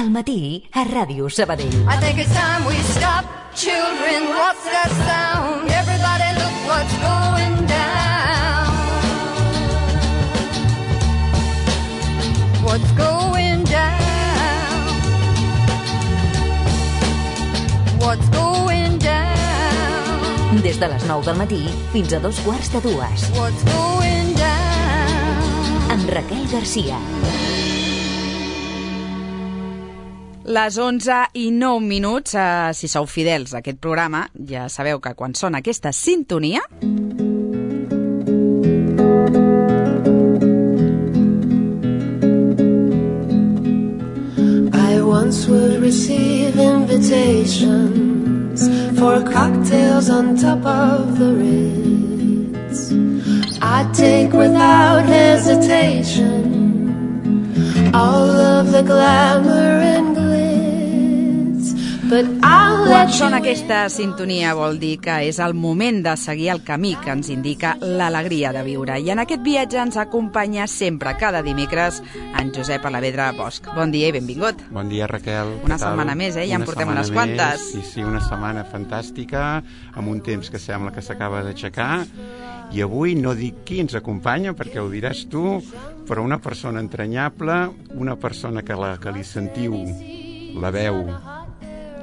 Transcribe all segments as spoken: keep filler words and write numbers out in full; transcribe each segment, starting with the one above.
Al matí a Ràdio Sabadell. I think it's time we stop. Children, what's that sound? Everybody look what's going down. What's going down? What's going down? Des de les nou del matí fins a dos quarts de dues. What's going down? Amb Raquel Garcia. Les onze i nou minuts, eh, si sou fidels a aquest programa, ja sabeu que quan sona aquesta sintonia... I once would receive invitations for cocktails on top of the Ritz. I'd take without hesitation all of the glamour and glitz, but I'll Quan let sona you aquesta sintonia vol dir que és el moment de seguir el camí que ens indica l'alegria de viure. I en aquest viatge ens acompanya sempre, cada dimecres, en Josep Alavedra Bosch. Bon dia i benvingut. Bon dia, Raquel. Una Què tal? setmana més, eh? Ja en Una portem setmana unes quantes. més. Sí, sí, una setmana fantàstica, amb un temps que sembla que s'acaba d'aixecar. I avui no dic qui ens acompanya, perquè ho diràs tu, però una persona entranyable, una persona que, la, que li sentiu la veu.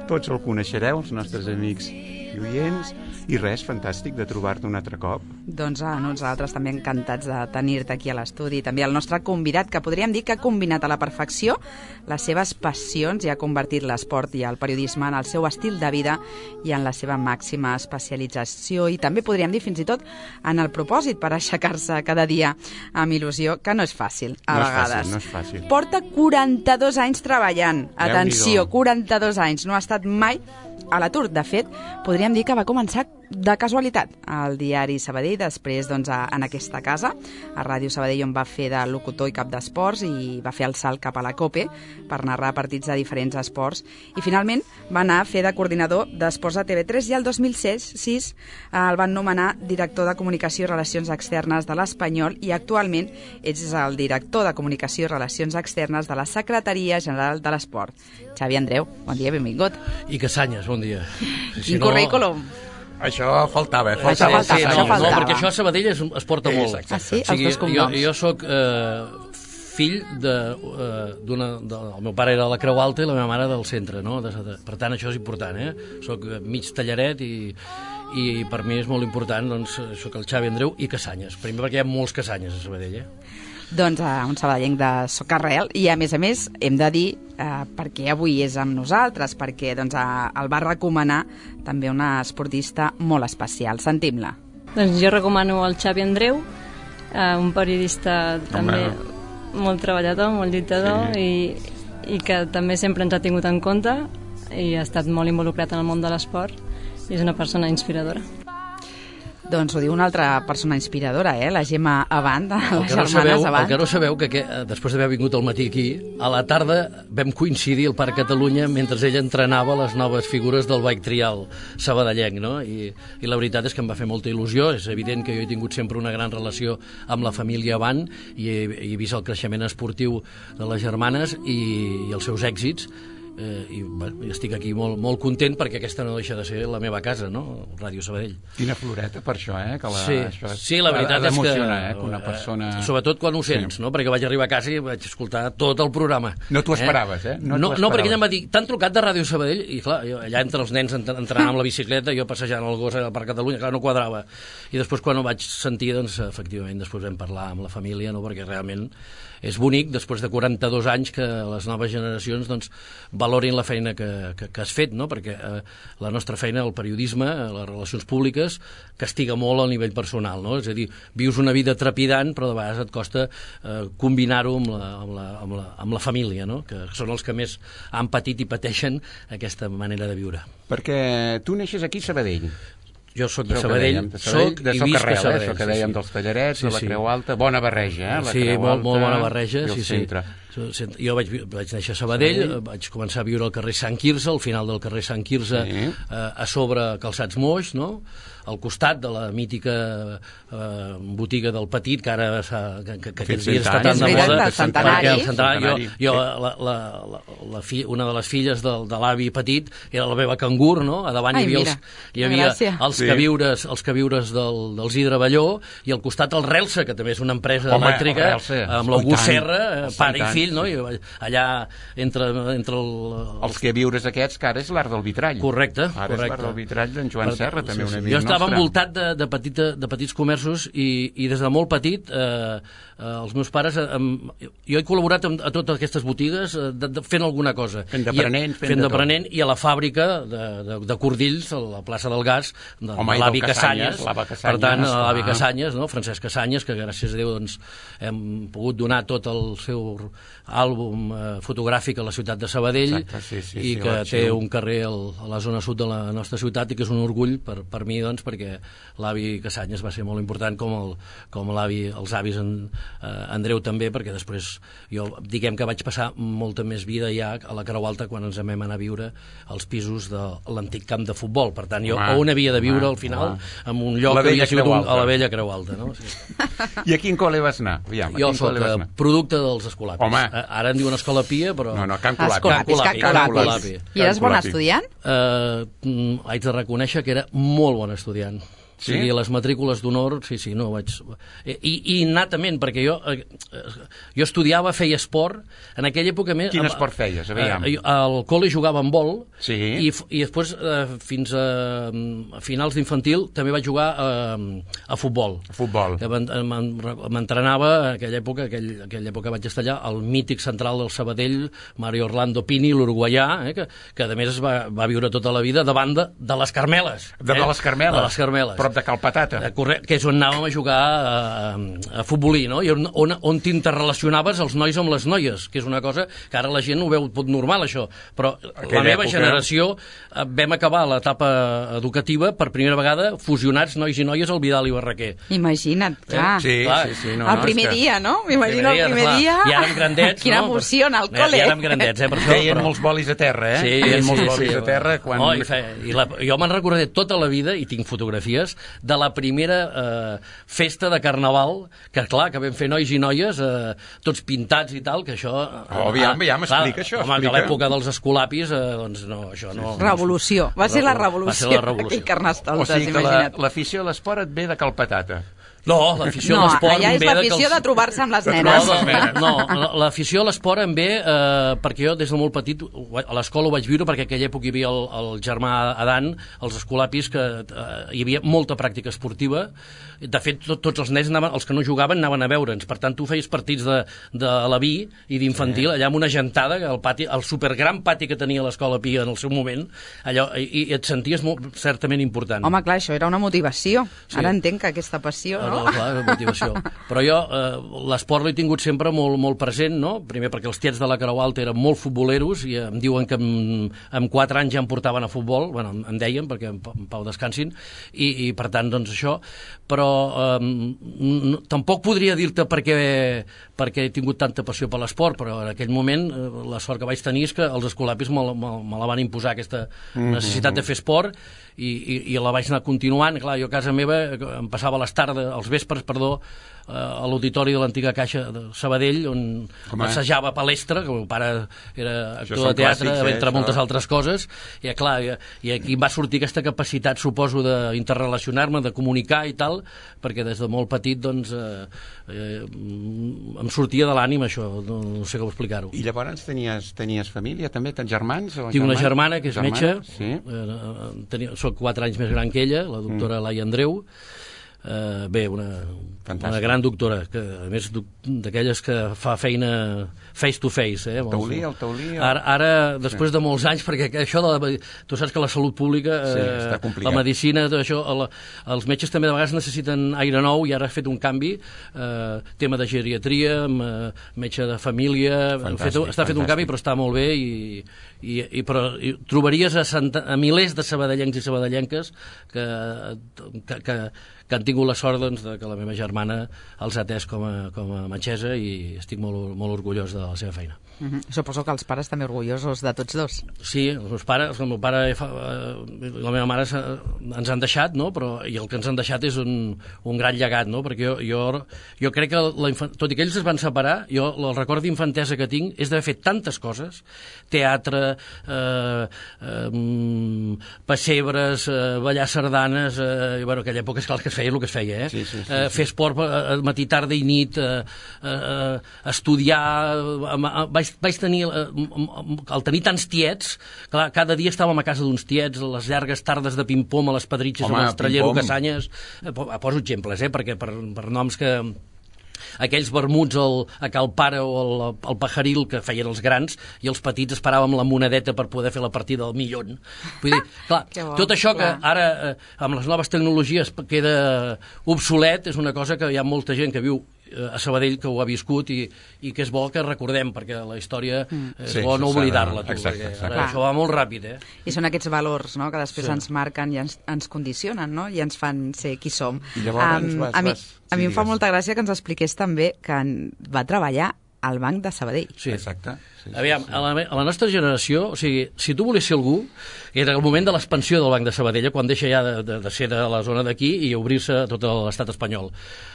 Tots el coneixereu, els nostres amics i oients, i res, fantàstic de trobar-te un altre cop. Doncs a nosaltres també encantats de tenir-te aquí a l'estudi. També el nostre convidat, que podríem dir que ha combinat a la perfecció les seves passions i ha convertit l'esport i el periodisme en el seu estil de vida i en la seva màxima especialització, i també podríem dir fins i tot en el propòsit per aixecar-se cada dia amb il·lusió, que no és fàcil a no vegades. És fàcil, no és fàcil. Porta quaranta-dos anys treballant. Atenció, quaranta-dos anys. No ha estat mai a l'atur. De fet, podríem dir que va començar de casualitat al diari Sabadell, després doncs, a, en aquesta casa, a Ràdio Sabadell, on va fer de locutor i cap d'esports, i va fer el salt cap a la COPE per narrar partits de diferents esports, i finalment va anar a fer de coordinador d'esports a T V tres, i el dos mil sis eh, el van nomenar director de Comunicació i Relacions Externes de l'Espanyol, i actualment és el director de Comunicació i Relacions Externes de la Secretaria General de l'Esport. Xavi Andreu, bon dia, benvingut. I Casanyes, bon dia. Quin currículum. Això faltava, faltava. Això faltava, sí, no, això faltava. No, perquè això a Sabadell es, es porta molt. Ah, sí? O sigui, Els dos cognoms. jo, jo soc eh, fill de, eh, d'una... De, el meu pare era de la Creu Alta i la meva mare del centre, no? De, de, per tant, això és important, eh? Soc mig tallaret i, i per mi és molt important, doncs, soc el Xavi Andreu i Casanyes. Primer perquè hi ha molts Casanyes a Sabadell, eh? Doncs uh, un sabadellenc de socarrel, i a més a més hem de dir uh, perquè avui és amb nosaltres, perquè doncs, uh, el va recomanar també una esportista molt especial. Sentim-la. Doncs jo recomano el Xavi Andreu, uh, un periodista també molt treballador, molt lluitador, sí. i, i que també sempre ens ha tingut en compte i ha estat molt involucrat en el món de l'esport, i és una persona inspiradora. Doncs ho diu una altra persona inspiradora, eh? La Gemma Avant, el les que no germanes sabeu, Avant. El que no sabeu que, que després d'haver vingut al matí aquí, a la tarda vam coincidir al Parc Catalunya mentre ella entrenava les noves figures del bike trial sabadellenc, no? I, i la veritat és que em va fer molta il·lusió. És evident que jo he tingut sempre una gran relació amb la família Avant i he, he vist el creixement esportiu de les germanes i, i els seus èxits. Eh, i bueno, estic aquí molt, molt content perquè aquesta no deixa de ser la meva casa, no? Ràdio Sabadell. Quina floreta per això, eh? Que la, sí, això sí, la veritat és que... Eh? Que una persona... Sobretot quan ho sents, sí. No? Perquè vaig arribar a casa i vaig escoltar tot el programa. No t'ho esperaves, eh? No, no, no, perquè ella em va dir, t'han trucat de Ràdio Sabadell? I clar, jo, allà entre els nens entrenant amb la bicicleta, jo passejant el gos al Parc Catalunya, clar, no quadrava. I després quan ho vaig sentir, doncs, efectivament, després vam parlar amb la família, no? Perquè realment és bonic, després de quaranta-dos anys, que les noves generacions doncs, valorin la feina que, que, que has fet, no? Perquè eh, la nostra feina, el periodisme, les relacions públiques, castiga molt al nivell personal, no? És a dir, vius una vida trepidant, però de vegades et costa eh, combinar-ho amb la, amb, la, amb, la, amb la família, no? Que són els que més han patit i pateixen aquesta manera de viure. Perquè tu neixes aquí a Sabadell. Jo soc de Sabadell, soc i visc a Sabadell. Això que dèiem dels tallarets, de la Creu Alta, bona barreja, eh? Sí, molt bona barreja, sí, sí. Jo vaig, vaig néixer a Sabadell, sí. vaig començar a viure al carrer Sant Quirze, al final del carrer Sant Quirze, sí. eh, a sobre Calçats Moix, no? Al costat de la mítica eh, botiga del Petit, que ara que, que, que aquests dies està tan de moda. El centenari. El centenari. Jo, jo la, la, la, la fi, una de les filles del, de l'avi Petit era la meva cangur, no? A davant Ai, hi havia, mira, els, hi havia els, sí. queviures, els queviures del, dels Hidre Balló, i al costat el Relsa, que també és una empresa Home, elèctrica, amb l'August Serra, pare i fill, no? I allà entre, entre el, els queviures aquests, que ara és l'art del vitrall. Correcte. Ara correcte. és l'art del vitrall d'en Joan Serra, també un amic nostre. Estava envoltat de, de, petita, de petits comerços i, i des de molt petit eh, eh, els meus pares eh, jo he col·laborat amb, a totes aquestes botigues eh, de, de, fent alguna cosa fent d'aprenent fent, fent d'aprenent i a la fàbrica de, de, de Cordills, a la plaça del Gas de, Home, de l'avi Casanyes, Casanyes per tant l'avi Casanyes, no? Francesc Casanyes, que gràcies a Déu doncs, hem pogut donar tot el seu àlbum eh, fotogràfic a la ciutat de Sabadell. Exacte, sí, sí, i sí, que té l'arxiu. un carrer al, a la zona sud de la nostra ciutat i que és un orgull per, per mi, doncs, perquè l'avi Casanyes va ser molt important, com, el, com l'avi, els avis en, eh, Andreu també, perquè després jo diguem que vaig passar molta més vida ja a la Creu Alta quan ens vam anar a viure als pisos de l'antic camp de futbol. Per tant, jo ah, on havia de viure ah, al final ah. en un lloc que havia sigut un, a la vella Creu Alta. No? Sí. I a quin col·le vas anar? Aviam, jo soc producte dels Escolapis. Home. Ara en diuen Escola Pia, però... No, no, Can Colapi. Escolapis, Can Colapi. I eres bon estudiant? Uh, haig de reconèixer que era molt bon estudiant. Sí? O sigui, les matrícules d'honor, sí, sí, no vaig... I, i innatament, perquè jo eh, jo estudiava, feia esport, en aquella època... Més, Quin esport feies? Aviam. Eh, al col·le jugava amb vol, sí. i, i després, eh, fins a, a finals d'infantil, també vaig jugar eh, a futbol. A futbol. M'entrenava, en aquella època, aquell, aquella època vaig estar allà, el mític central del Sabadell, Mario Orlando Pini, l'uruguaià, eh, que, que a més es va, va viure tota la vida davant de, de les Carmeles. De, eh? de les Carmeles? De les Carmeles. Però de Cal Patata. Correcte, que és on anàvem a jugar a, a futbolí, no? I on, on, on t'interrelacionaves els nois amb les noies, que és una cosa que ara la gent ho veu tot normal, això. Però Aquella la meva època... generació vam acabar l'etapa educativa per primera vegada fusionats nois i noies al Vidal i Barraquer. Imagina't, clar. Eh? Sí, clar. sí, sí. No, el no, primer que... dia, no? M'imagino el primer dia. I ara amb grandets, Quina no? emoció en el col·le. I ara amb grandets, eh? Per això, Feien però... molts bolis a terra, eh? Sí, Feien sí, molts sí, bolis sí, a terra quan... Oh, i fe... I la... Jo me'n recordaré tota la vida, i tinc fotografies, de la primera eh, festa de carnaval, que clar, que vam fer nois i noies, eh, tots pintats i tal, que això... Eh, oh, aviam, aviam, explica això, home, explica. Que a l'època dels Escolapis, eh, doncs no, això no... Revolució, va ser la revolució. Va ser la revolució. Aquell Carnestoltes, o sigui que imagina't. l'afició a l'esport et ve de Cal Patata. No, l'afició no, a l'esport... No, allà és l'afició de, els... de trobar-se amb les nenes. No, no, l'afició a l'esport em ve eh, perquè jo des de molt petit a l'escola ho vaig viure, perquè en aquella època hi havia el, el germà Adan, els Escolapis, que eh, hi havia molta pràctica esportiva. De fet, tot, tots els nens, anaven, els que no jugaven, anaven a veure'ns. Per tant, tu feies partits de, de l'Aví i d'infantil, sí. allà amb una gentada, el, pati, el supergran pati que tenia l'Escola Pia en el seu moment, allò, i, i et senties molt, certament important. Home, clar, això era una motivació. Sí. Ara entenc que aquesta passió... No? No, clar, és motivació. Però jo eh, l'esport l'he tingut sempre molt, molt present, no? Primer perquè els tiets de la Creu Alta eren molt futboleros i em diuen que amb, amb quatre anys ja em portaven a futbol, bueno, em deien, perquè en, en Pau descansin, i, i per tant, doncs això, però eh, no, tampoc podria dir-te perquè, perquè he tingut tanta passió per l'esport, però en aquell moment eh, la sort que vaig tenir és que els Escolapis me, me, me la van imposar, aquesta necessitat de fer esport, i, i, i la vaig anar continuant. Clar, jo a casa meva em passava les tardes, els vespres, perdó, a l'auditori de l'antiga Caixa de Sabadell, on Home. assajava palestra, que el meu pare era actor de teatre, clàssics, eh, entre moltes altres coses, i clar, i, i aquí em va sortir aquesta capacitat, suposo, d'interrelacionar-me, de comunicar i tal, perquè des de molt petit, doncs, eh, eh, em sortia de l'ànima això, no, no sé com explicar-ho. I llavors tenies, tenies família, també? Tens germans? O Tinc una germana que és germana? metge, sí. eh, tenia, soc quatre anys més gran que ella, la doctora mm. Laia Andreu. Uh, bé, una, una gran doctora, que a més d'aquelles que fa feina face to face. Eh, el taulí, el taulí... El... Ara, ara, després sí. de molts anys, perquè això de la, tu saps que la salut pública, sí, eh, la medicina, tot això, el, els metges també de vegades necessiten aire nou, i ara ha fet un canvi, eh, tema de geriatria, metge de família, fet, està fet un canvi, però està molt bé, i, i, i, però, i trobaries a, Santa, a milers de sabadellencs i sabadellenques que, que, que que han tingut la sort doncs, de que la meva germana els ha atès com a, com a metgessa i estic molt, molt orgullós de la seva feina. Uh-huh. Suposo que els pares també orgullosos de tots dos. Sí, els meus pares, el meu pare fa, eh, la meva mare ens han deixat, no? Però, i el que ens han deixat és un, un gran llegat, no? Perquè jo, jo, jo crec que, la infant... tot i que ells es van separar, jo el record d'infantesa que tinc és d'haver fet tantes coses, teatre, eh, eh, pessebres, eh, ballar sardanes, eh, i, bueno, aquella època és clar que es feia el que es feia, eh? Sí, sí, sí, eh, fer esport eh, matí, tarda i nit, eh, eh, estudiar, eh, vaig vaig tenir, al tenir tants tiets, clar, cada dia estàvem a casa d'uns tiets, les llargues tardes de ping-pong a les Pedritxes, a l'Estrellero, Casanyes, poso exemples, eh, perquè per, per noms que aquells vermuts al, a Cal Pare o al, al Pajaril que feien els grans i els petits esperàvem la monedeta per poder fer la partida del millón. Vull dir, clar, bo, tot això clar. Que ara eh, amb les noves tecnologies queda obsolet és una cosa que hi ha molta gent que viu a Sabadell que ho ha viscut i, i que és bo que recordem perquè la història mm. és sí, bo no oblidar-la tu, exacte, perquè ara això va molt ràpid, eh? I són aquests valors, no?, que després sí. ens marquen i ens, ens condicionen, no?, i ens fan ser qui som. I llavors um, vas, a mi, vas, a mi sí, em fa molta gràcia que ens expliqués també que va treballar al Banc de Sabadell. Sí, exacte. Sí, sí, Aviam, sí. A, la, a la nostra generació, o sigui, si tu volies ser algú, era el moment de l'expansió del Banc de Sabadell, quan deixa ja de, de, de ser de la zona d'aquí i obrir-se a tot l'estat espanyol.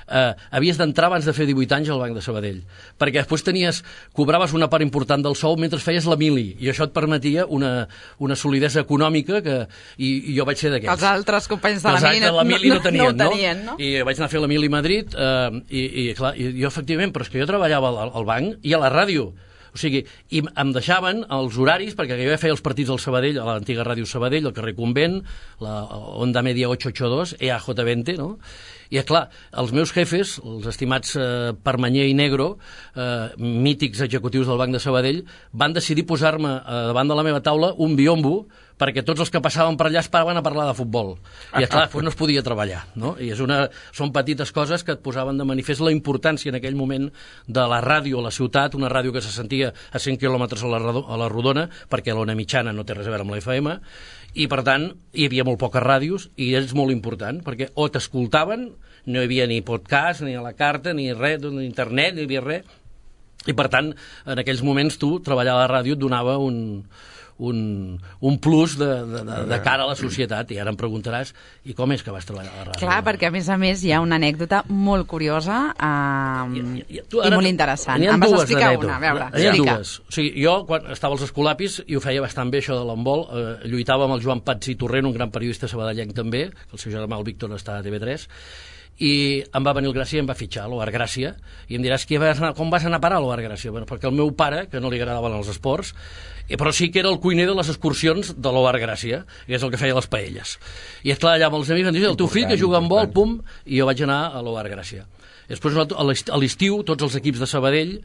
Eh, havies d'entrar abans de fer divuit anys al Banc de Sabadell, perquè després tenies, cobraves una part important del sou mentre feies la mili, i això et permetia una, una solidesa econòmica que, i, i jo vaig ser d'aquests. Els altres companys de la mili no, la mili no, no, tenien, no, no, tenien, no? I vaig anar a fer la mili a Madrid, eh, i, i, clar, i jo efectivament, però és que jo treballava al, al banc i a la ràdio. O sigui, i em deixaven els horaris, perquè jo ja feia els partits al Sabadell, a l'antiga ràdio Sabadell, al carrer Convent, la Onda Media ocho ocho dos, E A J veinte, no? I, clar, els meus jefes, els estimats eh, Permanyer i Negro, eh, mítics executius del Banc de Sabadell, van decidir posar-me eh, davant de la meva taula un biombo perquè tots els que passaven per allà es paraven a parlar de futbol. I, clar, després no es podia treballar, no? I és una, són petites coses que et posaven de manifest la importància en aquell moment de la ràdio a la ciutat, una ràdio que se sentia a cent quilòmetres a la, a la rodona, perquè l'ona mitjana no té res a veure amb la F M, i, per tant, hi havia molt poques ràdios, i és molt important, perquè o t'escoltaven, no hi havia ni podcast, ni a la carta, ni res, ni internet, ni hi havia res, i, per tant, en aquells moments tu, treballar a la ràdio et donava un... Un, un plus de, de, de, de cara a la societat, i ara em preguntaràs i com és que vas treballar a la ràdio? Clar, perquè a més a més hi ha una anècdota molt curiosa eh, i, i, i, tu, ara, i molt interessant. Em vas explicar una, a veure, explica. Dues. O sigui, jo, quan estava als Escolapis, i ho feia bastant bé això de l'handbol, eh, lluitava amb el Joan Pats i Torrent, un gran periodista sabadellenc també, que el seu germà el Víctor està a T V tres, i em va venir el Gràcia i em va fitxar a l'Oar Gràcia, i em diràs vas anar, com vas anar a parar a l'Oar Gràcia? Bueno, perquè el meu pare, que no li agradaven els esports, però sí que era el cuiner de les excursions de l'Oar Gràcia, i és el que feia les paelles. I és clar, allà amb els amics em diuen, el teu fill que juga amb vol, pum, i jo vaig anar a l'Oar Gràcia. Després, a l'estiu, tots els equips de Sabadell,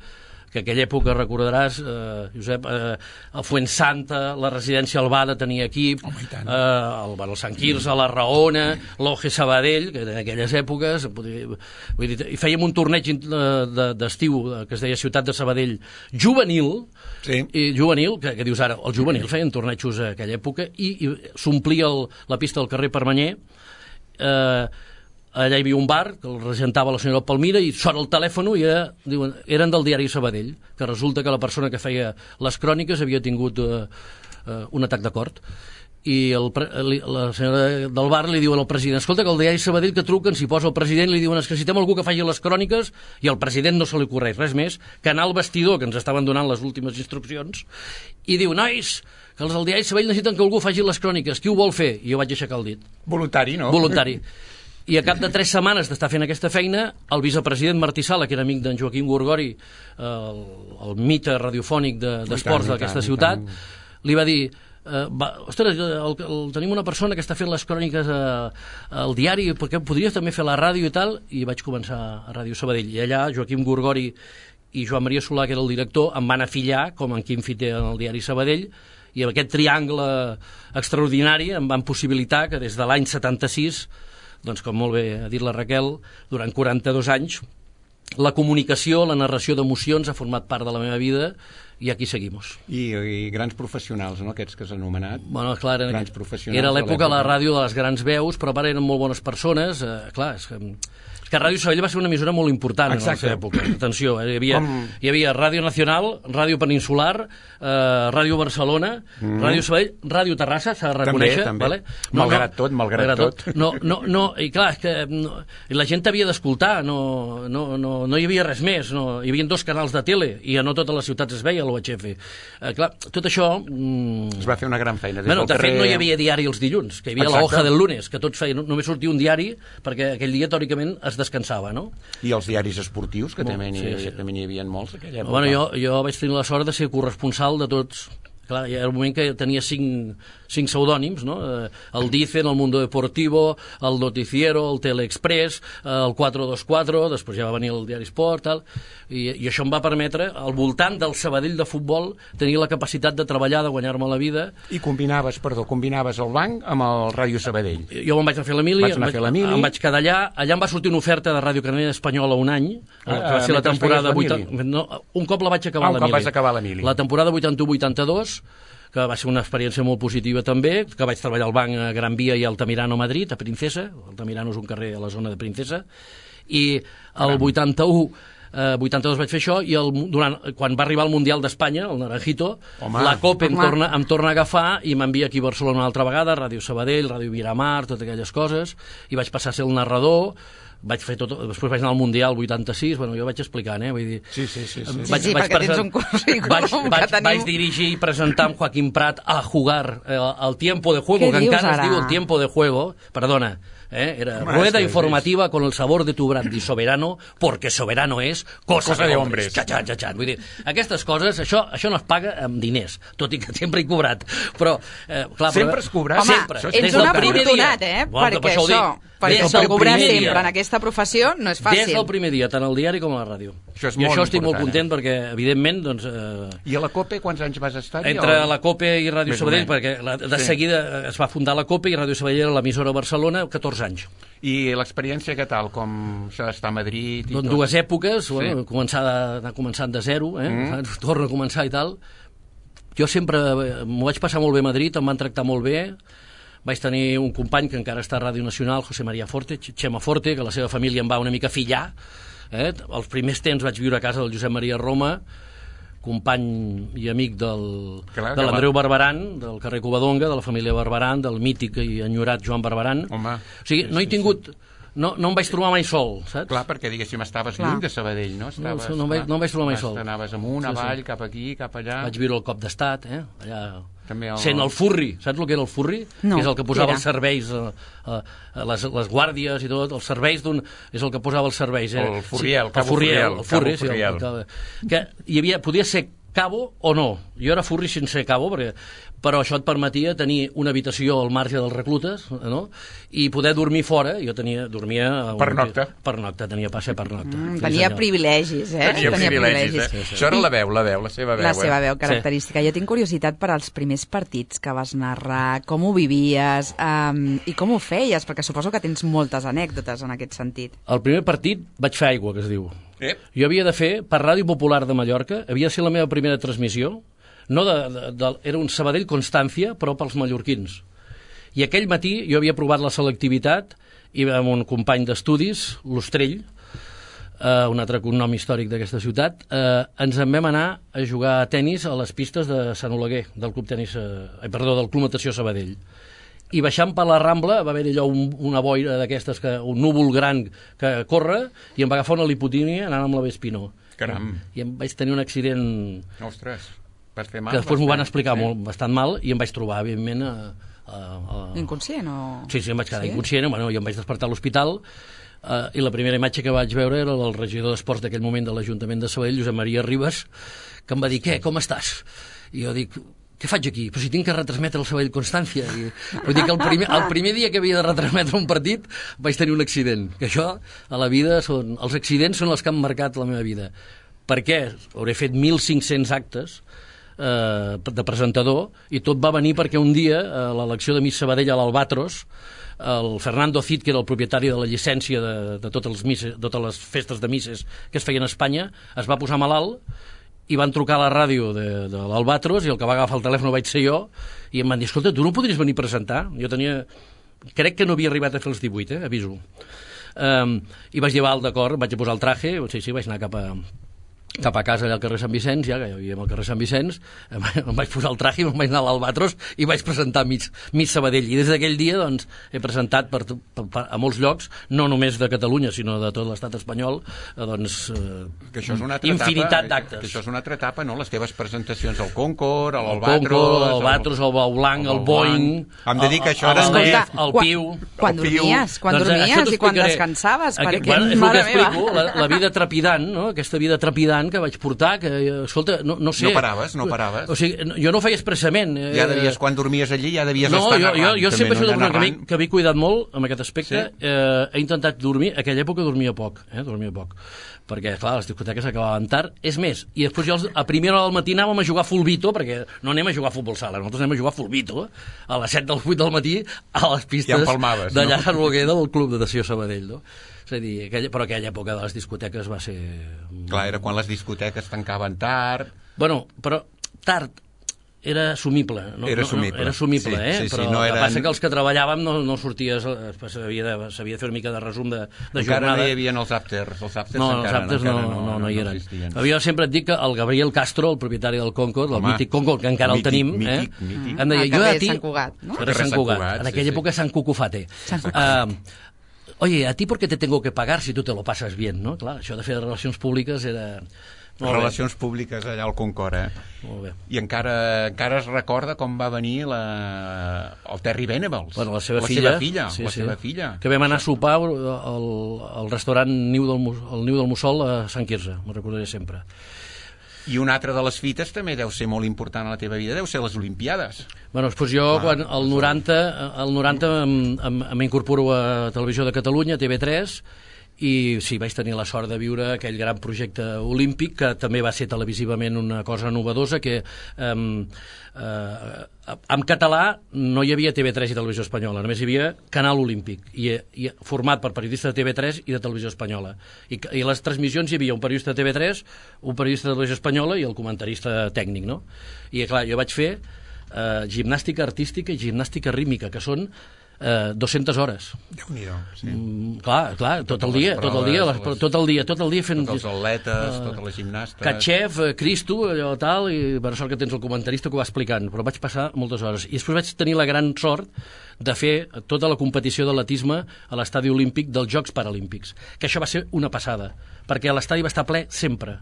que en aquella època recordaràs, eh, Josep, eh, el Fuensanta, la residència Albada tenia equip, oh, eh, el, el Sant Quirze, la Raona, l'O G Sabadell, que en aquelles èpoques, vull dir, i fèiem un torneig d'estiu que es deia Ciutat de Sabadell juvenil, sí. i juvenil, que, que dius ara, el juvenil feien tornejos a aquella època, i, i s'omplia la pista del carrer Permanyer, eh, allà hi havia un bar que el regentava la senyora Palmira i sona el telèfon i era, diuen, eren del diari Sabadell, que resulta que la persona que feia les cròniques havia tingut uh, uh, un atac de cor, i el, la senyora del bar li diu al president, escolta, que el diari Sabadell que truquen, s'hi posa el president, li diuen, es que necessitem algú que faci les cròniques, i al president no se li ocorreix res més que anar al vestidor, que ens estaven donant les últimes instruccions, i diu, nois, que els del diari Sabadell necessiten que algú faci les cròniques, qui ho vol fer? I jo vaig aixecar el dit. Voluntari, no? Voluntari. I a cap de tres setmanes d'estar fent aquesta feina, el vicepresident Martí Sala, que era amic d'en Joaquim Gorgori, el, el mite radiofònic d'esports de, d'aquesta ciutat, li va dir, eh, va, ostres, el, el, tenim una persona que està fent les cròniques a, al diari, perquè podries també fer la ràdio i tal, i vaig començar a Ràdio Sabadell. I allà Joaquim Gorgori i Joan Maria Solà, que era el director, em van afillar com en Quim Fiter en el diari Sabadell, i amb aquest triangle extraordinari em van possibilitar que des de l'any setanta-sis, doncs com molt bé ha dit la Raquel, durant quaranta-dos anys la comunicació, la narració d'emocions ha format part de la meva vida, i aquí seguimos. I, i grans professionals, no?, aquests que has anomenat. Bueno, clar, era, grans professionals era l'època de la l'època. ràdio de les grans veus, però a part eren molt bones persones. Eh, clar, és que, és que Ràdio Sabadell va ser una emissora molt important en la seva època. Atenció, eh, hi, havia, Com... hi havia Ràdio Nacional, Ràdio Peninsular, eh, Ràdio Barcelona, mm. Ràdio Sabadell, Ràdio Terrassa, s'ha de reconèixer. També, també. Vale? No, malgrat no, tot, malgrat, malgrat tot. tot. No, no, no, i clar, és que no, i la gent havia d'escoltar, no, no, no, no hi havia res més, no, hi havia dos canals de tele i a no totes les ciutats es veia l'U H F. Eh, clar, tot això... Mm, es va fer una gran feina. Bueno, de carrer... fet, no hi havia diari els dilluns, que hi havia Exacte. la hoja del lunes, que tots feien, només sortia un diari perquè aquell dia, teòricament, es descansava, no? I els diaris esportius, que també, sí, sí. també n'hi havia molts aquella època. Bueno, jo, jo vaig tenir la sort de ser corresponsal de tots. Clar, hi ha un moment que tenia cinc, cinc pseudònims, no? El Dicen, el Mundo Deportivo, el Noticiero, el Teleexpress, el quatre dos quatre, després ja va venir el Diari Esport, tal, i, i això em va permetre, al voltant del Sabadell de futbol, tenir la capacitat de treballar, de guanyar-me la vida. I combinaves, perdó, combinaves el banc amb el Ràdio Sabadell. Jo me'n vaig anar a fer la mili, em vaig, em vaig quedar allà, allà em va sortir una oferta de Ràdio Canella Espanyola un any, ah, que va ser la temporada... vuitanta... No, un cop la vaig acabar ah, la mili. Un cop vas acabar la mili. La temporada vuitanta-u vuitanta-dos, que va ser una experiència molt positiva també, que vaig treballar al banc a Gran Via i a Altamirano, Madrid, a Princesa. Altamirano és un carrer a la zona de Princesa. I el vuitanta-u, eh, vuitanta-dos vaig fer això, i el, durant, quan va arribar el Mundial d'Espanya, el Naranjito, Home. la COPE em torna, em torna a agafar i m'envia aquí a Barcelona una altra vegada, Ràdio Sabadell, Ràdio Miramar, totes aquelles coses, i vaig passar a ser el narrador. Vaig fer tot, després vaig anar al Mundial vuitanta-sis, bueno, jo vaig explicant, eh, vull dir... Sí, sí, sí. sí. Vaig, sí, vaig perquè present... tens un currículum vaig, vaig, que tenim... vaig dirigir i presentar amb Joaquim Prat a jugar eh, el tiempo de juego, que encara ara? es diu el tiempo de juego, perdona, eh, era Home, rueda sí, informativa sí. con el sabor de tu brandy soberano, porque soberano és cosa, cosa de hombres. Xatxan, xatxan. Vull dir, aquestes coses, això, això no es paga amb diners, tot i que sempre he cobrat, però... Eh, clar, sempre però, has cobrat? Home, sempre. ets un afortunat, eh? Bueno, perquè això, això, perquè això cobrar sempre dia. en aquesta professió no és fàcil. Des del primer dia, tant al diari com a la ràdio. Això és I molt això estic molt important, content eh? perquè, evidentment, doncs... Eh, I a la COPE quants anys vas estar? Entre o... la COPE i Ràdio Més Sabadell, perquè la, de sí. seguida es va fundar la COPE i Ràdio Sabadell era l'emissora a Barcelona, catorze anys. I l'experiència què tal? Com això d'estar a Madrid i doncs tot? Dues èpoques, sí. bueno, començar de, anar començant de zero, eh? Mm. torna a començar i tal. Jo sempre m'ho vaig passar molt bé a Madrid, em van tractar molt bé. Vaig tenir un company que encara està a Ràdio Nacional, José María Forte, Chema Forte, que la seva família em va una mica fillar. Eh? Els primers temps vaig viure a casa del Josep Maria Roma, company i amic del, Clar, de l'Andreu Barberan, del carrer Covadonga, de la família Barberan, del mític i enyorat Joan Barberan. Home, o sigui, no he tingut... No, no em vaig trobar mai sol, saps? Clar, perquè, diguéssim, estaves Clar. lluny de Sabadell, no? Estaves, no, no, em vaig, no em vaig trobar mai sol. Anaves amunt, sí, avall, sí. cap aquí, cap allà... Vaig viure el cop d'estat, eh? Allà... També el... Sent el furri, saps el que era el furri? No, que és el que posava els serveis, a, a, a les, les guàrdies i tot, els serveis d'un... És el que posava els serveis. Eh? El furriel, sí, cabo furriel. El furri, sí, el, el, que hi havia, podia ser cabo o no. Jo era furri sense ser cabo, perquè, però això et permetia tenir una habitació al marge dels reclutes, no? I poder dormir fora. Jo tenia, dormia... Per nocta. Per nocta, tenia passe per nocta. Mm, tenia sí, privilegis, eh? Tenia, tenia privilegis, eh? Sí, sí. Això era la veu, la veu, la seva veu. La seva eh? veu característica. Sí. Jo tinc curiositat per als primers partits que vas narrar, com ho vivies um, i com ho feies, perquè suposo que tens moltes anècdotes en aquest sentit. El primer partit vaig fer aigua, que es diu. Eh? Jo havia de fer, per Ràdio Popular de Mallorca, havia de ser la meva primera transmissió, no de, de, de, era un Sabadell Constància, però pels mallorquins. I aquell matí jo havia provat la selectivitat i amb un company d'estudis, l'Ostrell, eh, un altre cognom històric d'aquesta ciutat, eh, ens en vam anar a jugar a tennis a les pistes de Sant Oleguer, del Club Tenis, eh, perdó, del Club Natació Sabadell. I baixant per la Rambla va haver-hi allò un, una boira d'aquestes, que un núvol gran que corre, i em va agafar una lipotínia anant amb la Vespinó. Caram. I em vaig tenir un accident... Ostres, vas fer mal. Que després m'ho van explicar eh? molt, bastant mal, i em vaig trobar, evidentment... A, a, a... Inconscient o...? Sí, sí, em vaig quedar sí? inconscient, bueno, i em vaig despertar a l'hospital, eh, i la primera imatge que vaig veure era del regidor d'Esports d'aquell moment de l'Ajuntament de Sabadell, Josep Maria Ribas, que em va dir, què, com estàs? I jo dic... Què faig aquí? Però si tinc que retransmetre el Sabadell Constància. I, vull dir que el primer, el primer dia que havia de retransmetre un partit vaig tenir un accident. Que això, a la vida, són, els accidents són els que han marcat la meva vida. Per què? Hauré fet mil cinc-cents actes eh, de presentador, i tot va venir perquè un dia, a l'elecció de Miss Sabadell a l'Albatros, el Fernando Cid, que era el propietari de la llicència de, de totes, les misses, totes les festes de misses que es feien a Espanya, es va posar malalt, i van trucar a la ràdio de, de l'Albatros, i el que va agafar el telèfon vaig ser jo, i em van dir, escolta, tu no podries venir a presentar? Jo tenia... Crec que no havia arribat a fer els divuit, eh? Aviso. Um, I vaig dir, val, d'acord, vaig posar el traje, sí, sí, vaig anar cap a... cap a casa allà al carrer Sant Vicenç, ja que hi havia al carrer Sant Vicenç, em vaig posar el traje i me'n vaig anar a l'Albatros i vaig presentar Miss, Miss Sabadell. I des d'aquell dia doncs, he presentat per, per, per, a molts llocs, no només de Catalunya, sinó de tot l'estat espanyol, doncs, eh, que això és una altra infinitat etapa, d'actes. Que això és una altra etapa, no? Les teves presentacions al Concord, a l'Albatros... El l'Albatros, el Bau Blanc, el, el Boeing... Em dedica això... El, el, el, el Piu... Quan dormies, quan doncs, dormies i quan descansaves, perquè, perquè, bueno, és el que explico, la, la vida trepidant, no? Aquesta vida trepidant que vaig portar, que, escolta, no, no sé... No paraves, no paraves. O sigui, jo no ho feia expressament. Eh, ja devies, quan dormies allí, ja devies no, estar jo, narrant. No, jo, jo sempre he sigut una que, narrant. que m'he cuidat molt en aquest aspecte. Sí? Eh, he intentat dormir, a aquella època dormia poc, eh, dormia poc, perquè, clar, les discoteques acabaven tard. És més, i després jo a primera hora del matí anàvem a jugar a fulbito, perquè no anem a jugar a futbol sala, nosaltres anem a jugar a fulbito, a les set del vuit del matí, a les pistes d'allà a Roguer del Club de Natació Sabadell, no? És a dir, aquella, però aquella època de les discoteques va ser... Clar, era quan les discoteques tancaven tard... Bueno, però tard era assumible. No? Era assumible. No, no, era assumible, sí, sí, eh? sí, però no el eren... que passa que els que treballàvem no, no sorties, s'havia de, de fer una mica de resum de, de encara jornada. no hi havia els afters, els afters no, encara, els afters no, no, no, no, no, no hi eren. No jo sempre et dic que el Gabriel Castro, el propietari del Concord, el Home, mític Concord, que encara mític, el tenim, mític, eh? mític. Em deia, Ah, jo a carrer ti... Sant Cugat, no? Carrer Sant Cugat, en aquella sí, època Sant Cucufate. Uh, Oye, ¿a ti por qué te tengo que pagar si tú te lo pasas bien, no? Clar, això de fer relacions públiques era... Molt relacions bé. Públiques allà al Concord, eh? Molt bé. I encara, encara es recorda com va venir la, el Terry Venables. Bueno, la seva la filla. Seva filla sí, la sí. seva filla. Que vam anar a sopar al, al restaurant Niu del, el Niu del Mussol a Sant Quirze, me'n recordaré sempre. I una altra de les fites també deu ser molt important a la teva vida, deu ser les Olimpiades. Bueno, doncs jo, ah, quan el noranta, el noranta m'incorporo a Televisió de Catalunya, T V tres, i sí, vaig tenir la sort de viure aquell gran projecte olímpic, que també va ser televisivament una cosa novedosa, que eh, eh, en català no hi havia T V tres i Televisió Espanyola, només hi havia Canal Olímpic, i, i format per periodistes de T V tres i de Televisió Espanyola. I, i les transmissions hi havia un periodista de T V tres, un periodista de Televisió Espanyola i el comentarista tècnic, no? I clar, jo vaig fer eh, gimnàstica artística i gimnàstica rítmica, que són Eh, dues-centes hores. Déu-n'hi-do, sí. Mm, clar, clar, tot Totes el dia, les tot el dia, proves, les, les- tot el dia, tot el dia fent... Tots els atletes, totes les gimnastes... Catxef, eh, Cristo, allò tal, i per sort que tens el comentarista que ho va explicant, però vaig passar moltes hores. I després vaig tenir la gran sort de fer tota la competició d'atletisme a l'estadi olímpic dels Jocs Paralímpics, que això va ser una passada, perquè l'estadi va estar ple sempre,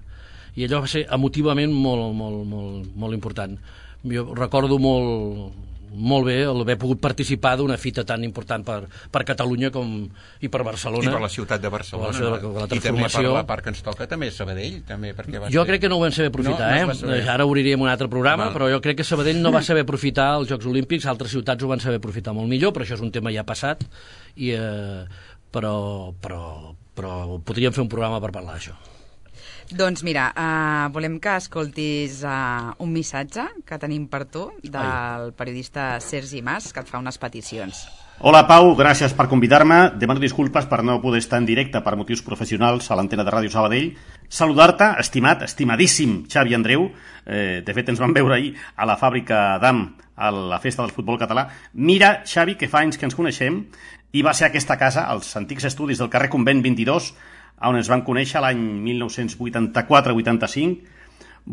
i allò va ser emotivament molt, molt, molt, molt important. Jo recordo molt... molt bé haver pogut participar d'una fita tan important per, per Catalunya com, i per Barcelona. I per la ciutat de Barcelona. Per la, la, la I també per transformació. la part que ens toca, també Sabadell, també, perquè va Jo ser... crec que no ho vam saber aprofitar, No, no es va eh? saber. Ara obriríem un altre programa, Val. però jo crec que Sabadell no va saber aprofitar els Jocs Olímpics, altres ciutats ho van saber aprofitar molt millor, però això és un tema ja passat, i, eh, però, però, però podríem fer un programa per parlar d'això. Doncs mira, uh, volem que escoltis uh, un missatge que tenim per tu del periodista Sergi Mas, que et fa unes peticions. Hola Pau, gràcies per convidar-me. Demano disculpes per no poder estar en directe per motius professionals a l'antena de Ràdio Sabadell. Saludar-te, estimat, estimadíssim Xavi Andreu. Eh, de fet, ens vam veure ahir a la fàbrica d'A M, a la festa del futbol català. Mira, Xavi, que fa anys que ens coneixem, i va ser aquesta casa, als antics estudis del carrer Convent vint-i-dos, on ens vam conèixer l'any mil nou-cents vuitanta-quatre vuitanta-cinc.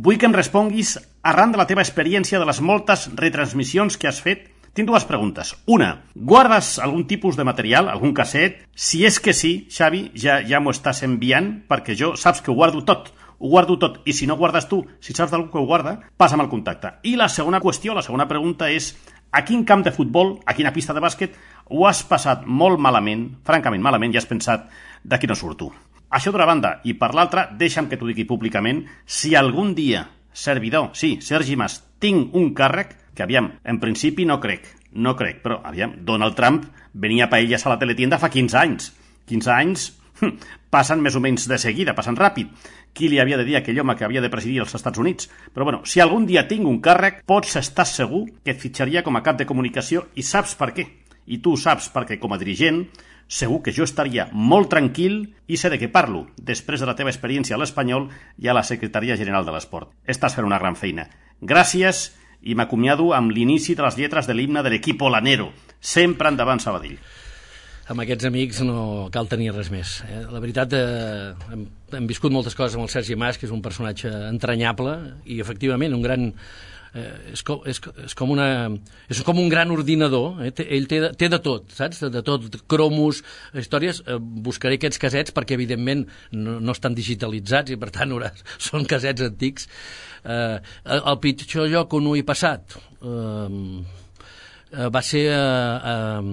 Vull que em responguis, arran de la teva experiència de les moltes retransmissions que has fet, tinc dues preguntes. Una, guardes algun tipus de material, algun casset? Si és que sí, Xavi, ja, ja m'ho estàs enviant, perquè jo saps que ho guardo tot, ho guardo tot, i si no guardes tu, si saps d'algú que ho guarda, passa'm el contacte. I la segona qüestió, la segona pregunta és, a quin camp de futbol, a quina pista de bàsquet, ho has passat molt malament, francament malament, i has pensat, d'aquí no surto. Això d'una banda, i per l'altra, deixa'm que t'ho digui públicament, si algun dia, servidor, sí, Sergi Mas, tinc un càrrec, que aviam, en principi no crec, no crec, però aviam, Donald Trump venia a paelles a la teletienda fa quinze anys. quinze anys hm, passen més o menys de seguida, passen ràpid. Qui li havia de dir a aquell home que havia de presidir els Estats Units? Però bueno, si algun dia tinc un càrrec, pots estar segur que et fitxaria com a cap de comunicació, i saps per què? I tu saps perquè com a dirigent segur que jo estaria molt tranquil i sé de què parlo, després de la teva experiència a l'Espanyol i a la Secretaria General de l'Esport. Estàs fent una gran feina. Gràcies i m'acomiado amb l'inici de les lletres de l'himne de l'equip Olanero. Sempre endavant, Sabadell. Amb aquests amics no cal tenir res més. Eh? La veritat, eh, hem, hem viscut moltes coses amb el Sergi Mas, que és un personatge entranyable i, efectivament, un gran... Eh, és, com, és, és, com una, és com un gran ordinador. Eh? Ell té de, té de tot, saps? De tot, cromos, històries. Eh, buscaré aquests casets perquè, evidentment, no, no estan digitalitzats i, per tant, són casets antics. Eh, el pitjor lloc on ho he passat eh, va ser eh, eh,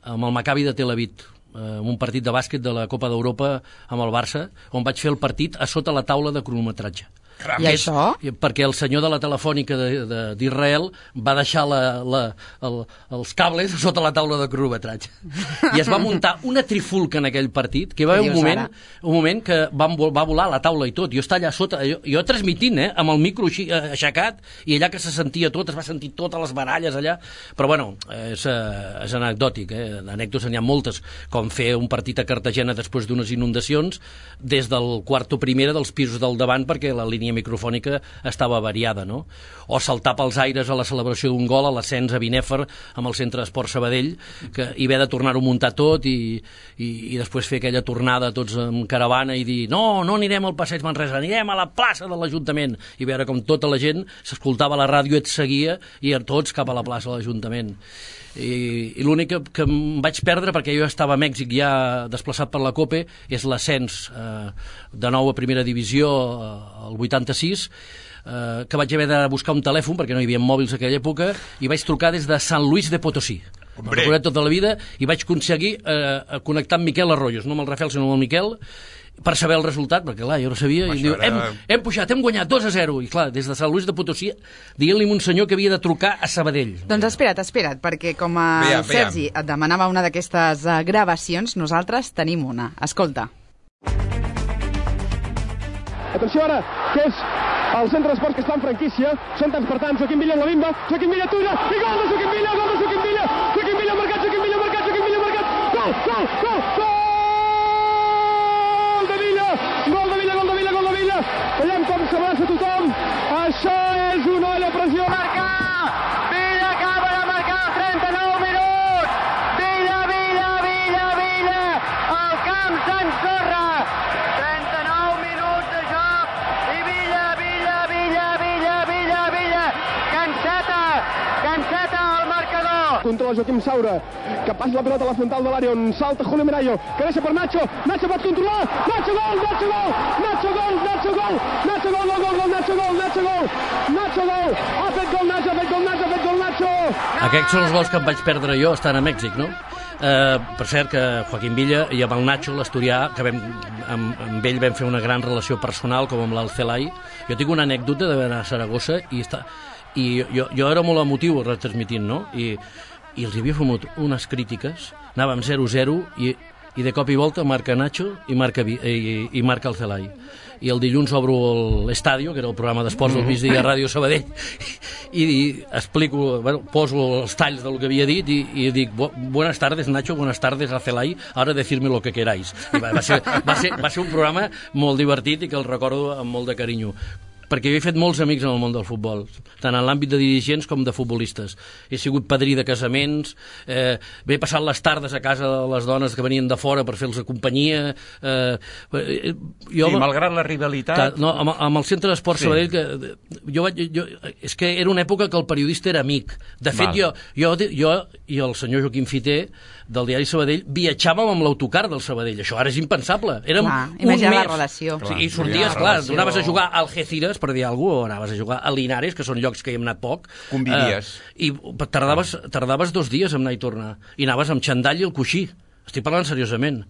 amb el Maccabi de Tel Aviv, eh, un partit de bàsquet de la Copa d'Europa amb el Barça, on vaig fer el partit a sota la taula de cronometratge. Caram. I això? Perquè el senyor de la telefònica d'Israel va deixar la, la, el, els cables sota la taula de cronometratge. I es va muntar una trifulca en aquell partit, que va haver un moment, un moment que va, va volar la taula i tot. Jo estava allà sota, jo, jo transmitint, eh, amb el micro així, eh, aixecat, i allà que se sentia tot, es va sentir totes les baralles allà. Però bueno, és, és anecdòtic, eh? Anècdotes n'hi ha moltes, com fer un partit a Cartagena després d'unes inundacions, des del quarto primera dels pisos del davant, perquè la línia microfònica estava variada, no? O saltar pels aires a la celebració d'un gol a l'ascens a Binèfar amb el Centre d'Esport Sabadell, que hi haver de tornar-ho a muntar tot i, i, i després fer aquella tornada tots en caravana i dir no, no anirem al Passeig Manresa, anirem a la plaça de l'Ajuntament, i veure com tota la gent s'escoltava a la ràdio, et seguia i tots cap a la plaça de l'Ajuntament. I, i l'únic que, que em vaig perdre, perquè jo estava a Mèxic ja desplaçat per la COPE, és l'ascens eh, de nou a primera divisió eh, el vuitanta-sis, eh, que vaig haver de buscar un telèfon perquè no hi havia mòbils en aquella època, i vaig trucar des de Sant Luis de Potosí. Me'l recordat tota la vida, i vaig aconseguir eh, connectar amb Miquel Arroyos, no amb el Rafael sinó amb el Miquel, per saber el resultat, perquè clar, jo no sabia, i diu, hem, hem pujat, hem guanyat dos a zero, i clar, des de Sant Luis de Potosí, dient-li a un senyor que havia de trucar a Sabadell. Doncs espera't, espera't, perquè com a veiem, Sergi veiem. et demanava una d'aquestes uh, gravacions, nosaltres tenim una. Escolta. Atenció ara, que és el centre d'esports que està en franquícia, són tants per tants, Joaquim Villa en la bimba, Joaquim Villa tulla, i gol de Joaquim Villa, gol de Joaquim Villa, Joaquim Villa marcat, Joaquim Villa marcat, Joaquim Villa marcat, gol, gol, gol, gol! Gol de Villa, gol de Villa, gol de Villa, gol de Villa, veiem com s'abraça tothom, això és una olla pressió. Marcar, Villa acaba de marcar, trenta-nou minuts, Villa, Villa, Villa, Villa, el camp s'ensorra, trenta-nou minuts de joc, i Villa, Villa, Villa, Villa, Villa, Villa, canseta, canseta al marcador. Controla Joaquim Saura, que passa la pilota a la frontal de l'àrea on salta Julio Merayo, que deixa per Nacho, Nacho pot controlar, Nacho gol, Nacho gol, Nacho gol, Nacho gol, Nacho gol, gol, gol, gol, Nacho gol, Nacho gol, Nacho gol, ha fet gol Nacho, ha fet gol Nacho, ha fet gol Nacho. Aquests són els gols que em vaig perdre jo estant a Mèxic, no? Eh, per cert que Joaquim Villa i amb el Nacho, l'asturià, que vam, amb, amb ell vam fer una gran relació personal com amb l'Alcelai. Jo tinc una anècdota d'anar a Saragossa i, està, i jo, jo era molt emotiu retransmitint, no? I, i els havia fumut unes crítiques, anàvem zero zero i, i de cop i volta marca Nacho i marca, i, i marca el Celai. I el dilluns obro l'Estadio, que era el programa d'esports del migdia a Ràdio Sabadell, i, i explico, bueno, poso els talls del que havia dit i, i dic, buenas tardes Nacho, buenas tardes a Celai, ahora decirme lo que queráis. I va, va, ser, va, ser, va ser un programa molt divertit i que el recordo amb molt de carinyo, perquè jo he fet molts amics en el món del futbol, tant en l'àmbit de dirigents com de futbolistes. He sigut padrí de casaments, eh, he passat les tardes a casa de les dones que venien de fora per fer-los companyia. Eh, jo, sí, malgrat la rivalitat... No, amb, amb el Centre d'Esport sí. Sabadell, que jo vaig, jo, és que era una època que el periodista era amic. De fet, jo, jo, jo i el senyor Joaquim Fiter, del diari Sabadell, viatjàvem amb l'autocar del Sabadell. Això ara és impensable. Érem clar, un imagina mes. La relació. Sí, i sorties, clar, anaves a jugar al Algeciras, per dir alguna cosa, o anaves a jugar a Linares, que són llocs que hi hem anat poc. Convidies. Eh, I tardaves, tardaves dos dies en anar i tornar. I anaves amb xandall i el coixí. Estic parlant seriosament.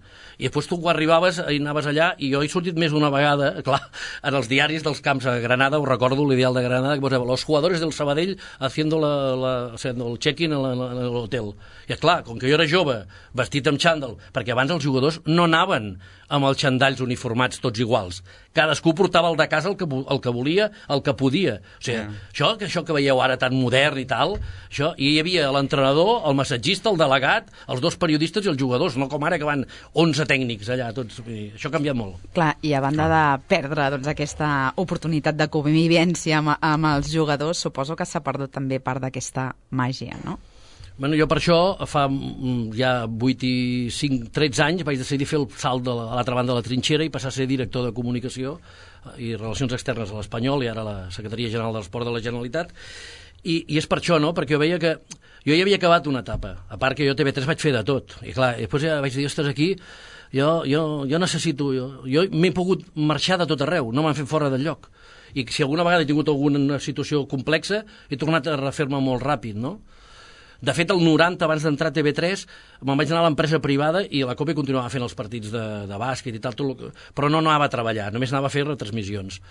I després tu arribaves i anaves allà, i jo he sortit més d'una vegada, clar, en els diaris dels camps a Granada, ho recordo, l'ideal de Granada, que posava, los jugadores del Sabadell haciendo, la, la, haciendo el check-in en l'hotel. I clar, com que jo era jove, vestit amb xandall, perquè abans els jugadors no anaven amb els xandalls uniformats tots iguals. cadascú portava el de casa el que, el que volia, el que podia. O sigui, yeah. això, que això que veieu ara tan modern i tal, això, i hi havia l'entrenador, el massatgista, el delegat, els dos periodistes i els jugadors, no com ara que van onze tècnics allà, tots. Això ha canviat molt. Clar, i a banda de perdre doncs, aquesta oportunitat de convivència amb, amb els jugadors, suposo que s'ha perdut també part d'aquesta màgia, no? Bueno, jo per això, fa ja vuit i cinc, tretze anys, vaig decidir fer el salt de la, a l'altra banda de la trinxera i passar a ser director de comunicació i relacions externes a l'Espanyol i ara a la Secretaria General de l'Esport de la Generalitat. I, i és per això, no?, perquè jo veia que jo ja havia acabat una etapa, a part que jo a T V tres vaig fer de tot, i clar, després ja vaig dir, ostres, aquí jo, jo, jo necessito, jo, jo m'he pogut marxar de tot arreu, no m'han fet fora del lloc, i si alguna vegada he tingut alguna situació complexa, he tornat a refer-me molt ràpid, no? De fet, el noranta, abans d'entrar a T V tres, me'n vaig anar a l'empresa privada i la COPE continuava fent els partits de, de bàsquet i tal, tot, però no anava a treballar, només anava a fer retransmissions.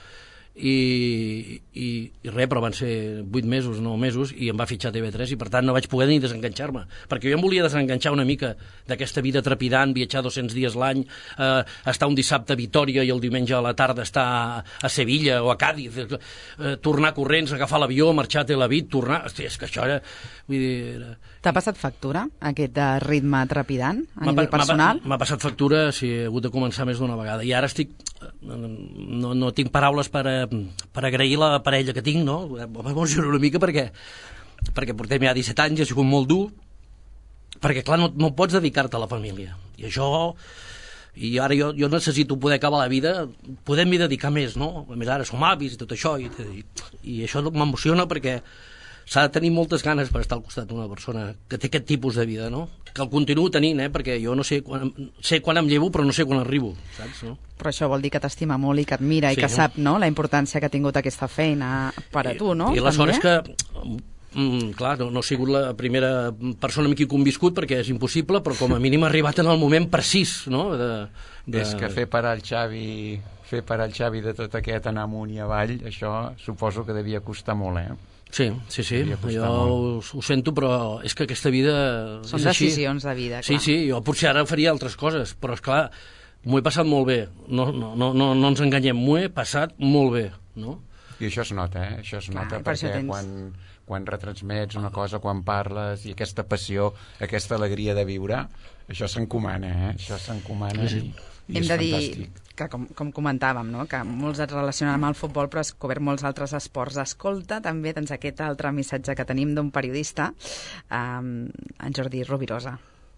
I, i, i res, però van ser vuit mesos, nou mesos, i em va fitxar T V tres i per tant no vaig poder ni desenganxar-me, perquè jo em volia desenganxar una mica d'aquesta vida trepidant, viatjar dos-cents dies l'any, eh, estar un dissabte a Vitòria i el diumenge a la tarda estar a, a Sevilla o a Càdiz, eh, tornar corrents, agafar l'avió, marxar a Tel Aviv, tornar... Hosti, és que això era... Vull dir, era... T'ha passat factura, aquest ritme trepidant, a nivell personal? M'ha passat factura, sí, he hagut de començar més d'una vegada. I ara estic... No, no tinc paraules per, per agrair la parella que tinc, no? M'emociono una mica perquè, perquè portem ja disset anys, ha sigut molt dur, perquè, clar, no, no pots dedicar-te a la família. I això... I ara jo, jo necessito poder acabar la vida, podem-hi dedicar més, no? A més, ara som avis i tot això, i, i, i això m'emociona perquè s'ha de tenir moltes ganes per estar al costat d'una persona que té aquest tipus de vida, no? Que el continuo tenint, eh? Perquè jo no sé quan, sé quan em llevo, però no sé quan arribo, saps? No? Però això vol dir que t'estima molt i que admira sí, i que no? sap, no?, la importància que ha tingut aquesta feina per a tu, no? I, i la sort és que... Mm, clar, no, no he sigut la primera persona amb qui he conviscut perquè és impossible, però com a mínim ha arribat en el moment precís, no? De, de... És que fer parar el Xavi, fer parar el Xavi de tot aquest anar amunt i avall, això suposo que devia costar molt, eh? Sí, sí, sí, jo ho, ho sento, però és que aquesta vida... Són decisions de vida, clar. Sí, sí, jo potser ara faria altres coses, però és clar, m'ho he passat molt bé, no, no, no, no, no ens enganyem, m'ho he passat molt bé, no? I això es nota, eh? Això es nota clar, perquè per tens... quan, quan retransmets una cosa, quan parles, i aquesta passió, aquesta alegria de viure, això s'encomana, eh? Això s'encomana sí, sí. i, i Hem és de dir fantàstic. Que, com, com comentàvem, no? Que molts et relacionen amb el futbol, però has cobert molts altres esports. Escolta també doncs, aquest altre missatge que tenim d'un periodista, um, en Jordi Rovirosa.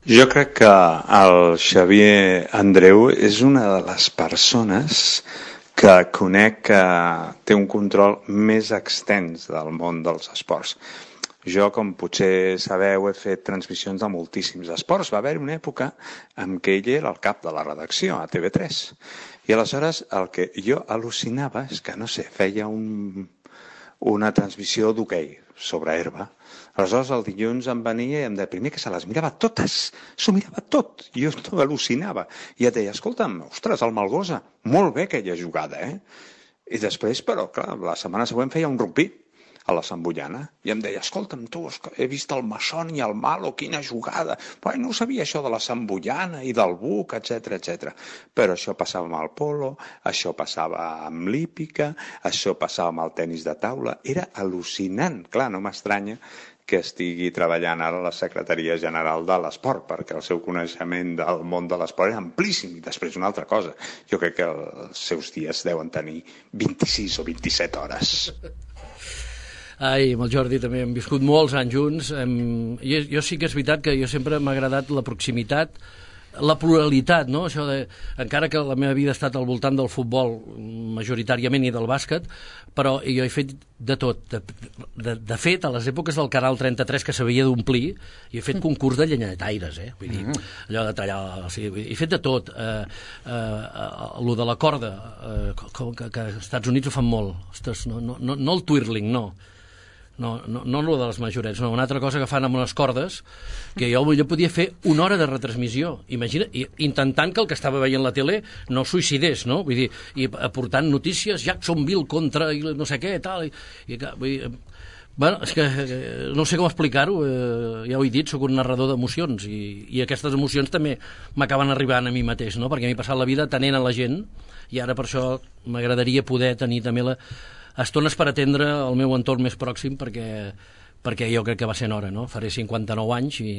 Jo crec que el Xavier Andreu és una de les persones que conec que té un control més extens del món dels esports. Jo, com potser sabeu, he fet transmissions de moltíssims esports. Va haver una època en què ell era el cap de la redacció a T V tres. I aleshores el que jo al·lucinava és que, no sé, feia un, una transmissió d'hoquei sobre herba. Aleshores el dilluns em venia i em deia primer que se les mirava totes, s'ho mirava tot. I jo no al·lucinava. I et deia, escolta'm, ostres, el Malgosa, molt bé aquella jugada, eh? I després, però, clar, la setmana següent feia un rugby a la Sambullana, i em deia, escolta'm, tu, he vist el Masson i el Malo, quina jugada. Però no sabia això de la Sambullana i del Buc, etcètera, etcètera. Però això passava amb el polo, això passava amb l'hípica, això passava amb el tenis de taula. Era al·lucinant. Clar, no m'estranya que estigui treballant ara a la Secretaria General de l'Esport, perquè el seu coneixement del món de l'esport és amplíssim. I després una altra cosa, jo crec que els seus dies deuen tenir vint-i-sis o vint-i-set hores. Ai, amb el Jordi també hem viscut molts anys junts. Hem... Jo, jo sí que és veritat que jo sempre m'ha agradat la proximitat, la pluralitat, no? Això de... Encara que la meva vida ha estat al voltant del futbol majoritàriament i del bàsquet, però jo he fet de tot. De, de, de fet, a les èpoques del Canal trenta-tres que s'havia d'omplir, he fet concurs de llenyataires, eh? Vull dir, allò de tallar... O sigui, he fet de tot. Eh, eh, lo de la corda, eh, que, que als Estats Units ho fan molt. Ostres, no, no, no, no el twirling, no. No, no, no el de les majorets, no, una altra cosa que fan amb unes cordes, que jo, jo podia fer una hora de retransmissió, imagina, i, intentant que el que estava veient la tele no suïcidés, no? Vull dir, i aportant notícies, Jacksonville contra no sé què, tal, i, i vull dir, Bueno, és que eh, no sé com explicar-ho, eh, ja ho he dit, sóc un narrador d'emocions i, i aquestes emocions també m'acaben arribant a mi mateix, no? Perquè m'he passat la vida atenent a la gent i ara per això m'agradaria poder tenir també la, estones per atendre el meu entorn més pròxim perquè, perquè jo crec que va ser en hora, no? Faré cinquanta-nou anys i,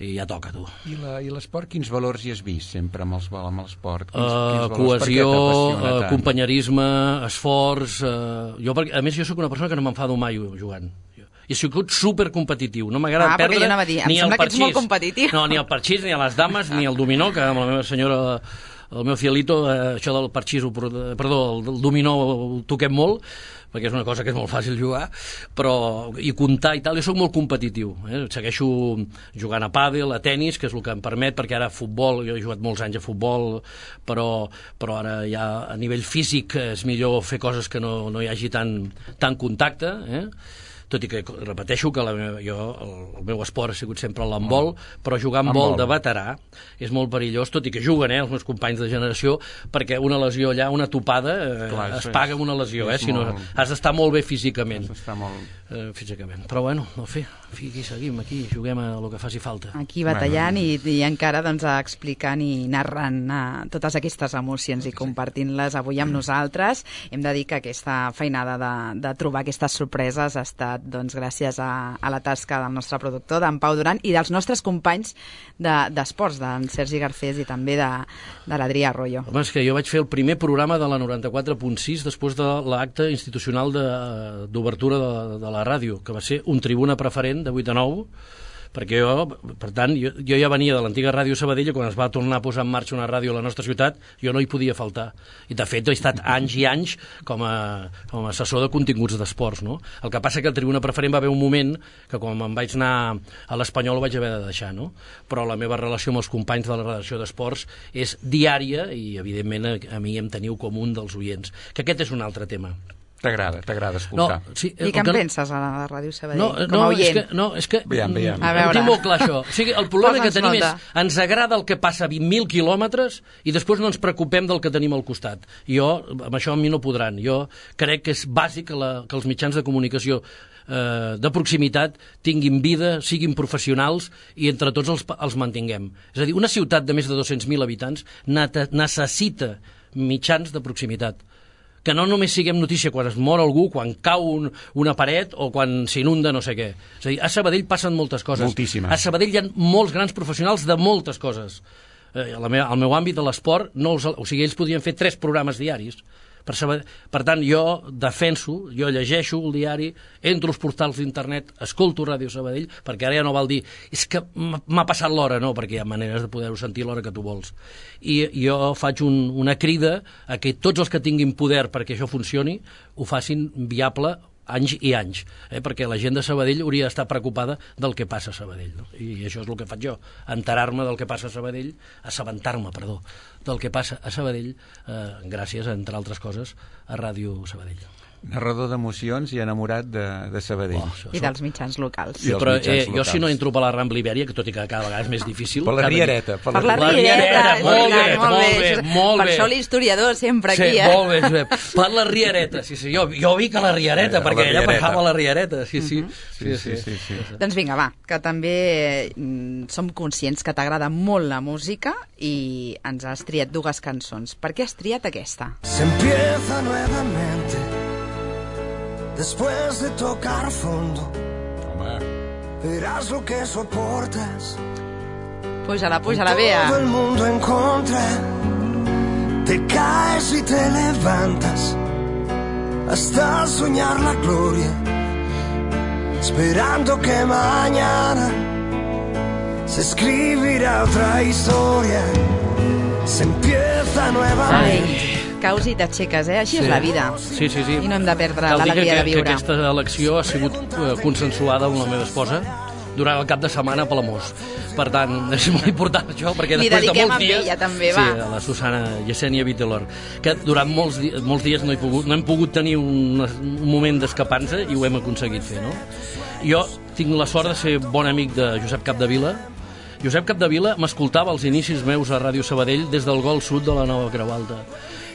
i ja toca, tu. I, la, i l'esport, quins valors hi has vist sempre amb, els, amb l'esport? Quins, Uh, quins cohesió, uh, companyerisme, esforç... Uh, jo, perquè, a més, jo sóc una persona que no m'enfado mai jugant. Jo, i he sigut supercompetitiu. No m'agrada ah, perdre jo dir, ni el parxís. Que ets molt competitiu. No, ni el parxís, ni a les dames, ni el dominó, que amb la meva senyora... El meu cielito, eh, això del parxís, perdó, el del dominó ho toquem molt, perquè és una cosa que és molt fàcil jugar, però i comptar i tal, jo sóc molt competitiu, eh? Segueixo jugant a pàdel, a tennis, que és el que em permet, perquè ara futbol, jo he jugat molts anys a futbol, però, però ara ja a nivell físic és millor fer coses que no, no hi hagi tant, tant contacte, eh? Tot i que repeteixo que la meva, jo, el, el meu esport ha sigut sempre l'handbol, però jugar amb vol de veterà és molt perillós, tot i que juguen eh, els meus companys de generació, perquè una lesió allà, una topada, eh, Clar, es paga amb una lesió, eh, si no has d'estar molt bé físicament. Has d'estar molt... Eh, físicament. Però bueno, no fer, aquí seguim, aquí juguem a el que faci falta. Aquí batallant bueno. i, i encara doncs, explicant i narrant uh, totes aquestes emocions i compartint-les avui amb nosaltres. Hem de dir que aquesta feinada de, de trobar aquestes sorpreses ha estat doncs, gràcies a, a la tasca del nostre productor, d'en Pau Duran, i dels nostres companys d'esports, de, d'en Sergi Garcés i també de, de l'Adrià Arroyo. Home, és que jo vaig fer el primer programa de la noranta-quatre punt sis després de l'acte institucional d'obertura de, de, de la ràdio, que va ser un tribuna preferent de vuit a nou, perquè jo, per tant, jo, jo ja venia de l'antiga ràdio Sabadell i quan es va tornar a posar en marxa una ràdio a la nostra ciutat, jo no hi podia faltar. I de fet he estat anys i anys com a, com a assessor de continguts d'esports, no? El que passa que el tribuna preferent va haver un moment que quan me'n vaig anar a l'Espanyol ho vaig haver de deixar, no? Però la meva relació amb els companys de la redacció d'esports és diària i, evidentment, a, a mi em teniu com un dels oients. Que aquest és un altre tema. T'agrada, t'agrada escoltar. No, sí, I què en penses a la ràdio Sabadell? No, com no, a oient? és que, no, és que veiem, veiem. ho tinc molt clar, això. O sigui, el problema que tenim nota. és ens agrada el que passa a vint mil quilòmetres i després no ens preocupem del que tenim al costat. Jo, amb això a mi no podran. Jo crec que és bàsic que, la, que els mitjans de comunicació eh, de proximitat tinguin vida, siguin professionals i entre tots els, els mantinguem. És a dir, una ciutat de més de dos-cents mil habitants necessita mitjans de proximitat, que no només siguem notícia quan es mor algú, quan cau un, una paret o quan s'inunda no sé què. És a dir, a Sabadell passen moltes coses. Moltíssimes. A Sabadell hi ha molts grans professionals de moltes coses. Eh, la meva, el meu àmbit de l'esport, no els, o sigui, ells podien fer tres programes diaris. Per, Sabadell, per tant, jo defenso, jo llegeixo el diari, entro als portals d'internet, escolto Ràdio Sabadell, perquè ara ja no val dir és que m'ha passat l'hora, no, perquè hi ha maneres de poder-ho sentir l'hora que tu vols. I jo faig un, una crida a que tots els que tinguin poder perquè això funcioni ho facin viable anys i anys, eh? Perquè la gent de Sabadell hauria d'estar preocupada del que passa a Sabadell, no? I això és el que faig jo, enterar-me del que passa a Sabadell, assabentar-me, perdó, del que passa a Sabadell, eh, gràcies, entre altres coses, a Ràdio Sabadell. Narrador d'emocions i enamorat de, de Sabadell. Oh, I dels mitjans locals. Sí, però eh, jo si no entro per la Rambla Ibèria, que tot i que cada vegada és més difícil... Per la Riereta. Per la, la Riereta, molt bé, molt bé, molt bé. Per això l'historiador sempre aquí, sí, eh? molt bé, Josep. Per la Riereta, sí, sí, jo, jo vic a la Riereta, eh, perquè ella passava a la Riereta, sí, sí. Uh-huh. sí, sí, sí, sí, sí. Doncs vinga, va, que també mm, som conscients que t'agrada molt la música i ens has triat dues cançons. Per què has triat aquesta? Se empieza nuevamente después de tocar fondo. Hombre. Verás lo que soportas. Puja-la, puja-la, Bea. Todo el mundo en contra. Te caes y te levantas hasta soñar la gloria, esperando que mañana se escribirá otra historia. Se empieza nuevamente. Ai. Caus i t'aixeques, eh? Així sí. És la vida. Sí, sí, sí. I no hem de perdre l'alegria de viure. Que aquesta elecció ha sigut uh, consensuada amb la meva esposa durant el cap de setmana a Palamós. Per tant, és molt important això, perquè Li després de molts dies... Ella, també, sí, a la Susana Yesenia Vitelor, que durant molts, di molts dies no, he pogut, no hem pogut tenir un, un moment d'escapança i ho hem aconseguit fer, no? Jo tinc la sort de ser bon amic de Josep Capdevila. Josep Capdevila m'escoltava als inicis meus a Ràdio Sabadell des del Gol Sud de la Nova Creu Alta.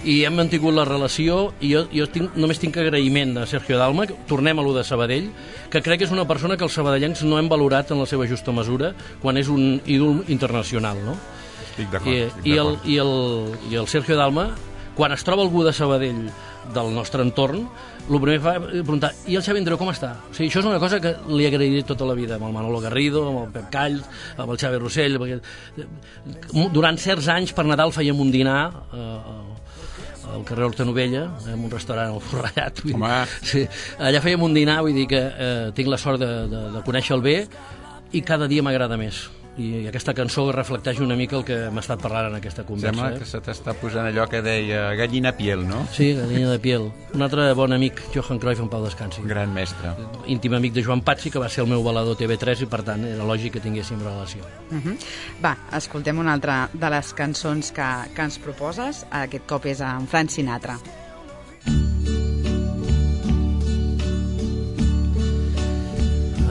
i hem mantingut la relació, i jo, jo tinc, només tinc agraïment a Sergio Dalma. Tornem a lo de Sabadell, que crec que és una persona que els sabadellencs no hem valorat en la seva justa mesura quan és un ídol internacional, no? Estic d'acord. I, estic i, el, d'acord. i, el, i el Sergio Dalma, quan es troba algú de Sabadell del nostre entorn, el primer fa és preguntar, i el Xavi Andreu com està? O sigui, això és una cosa que li agrairé tota la vida, amb el Manolo Garrido, amb el Pep Call, amb el Xavi Rossell, perquè durant certs anys per Nadal fèiem un dinar eh, al carrer Hortanovella, en un restaurant al Forrellat. Sí, allà fèiem un dinar, vull dir que eh, tinc la sort de, de, de conèixer-lo bé, i cada dia m'agrada més. I aquesta cançó reflecteix una mica el que m'ha estat parlant en aquesta conversa. Sembla eh? que se t'està posant allò que deia gallina piel, no? Sí, gallina de piel. Un altre bon amic, Johan Cruyff, en pau descansi. Gran mestre. Íntim amic de Joan Patsi, que va ser el meu balador T V tres, i per tant era lògic que tinguéssim relació. Uh -huh. Va, escoltem una altra de les cançons que, que ens proposes. Aquest cop és en Frank Sinatra.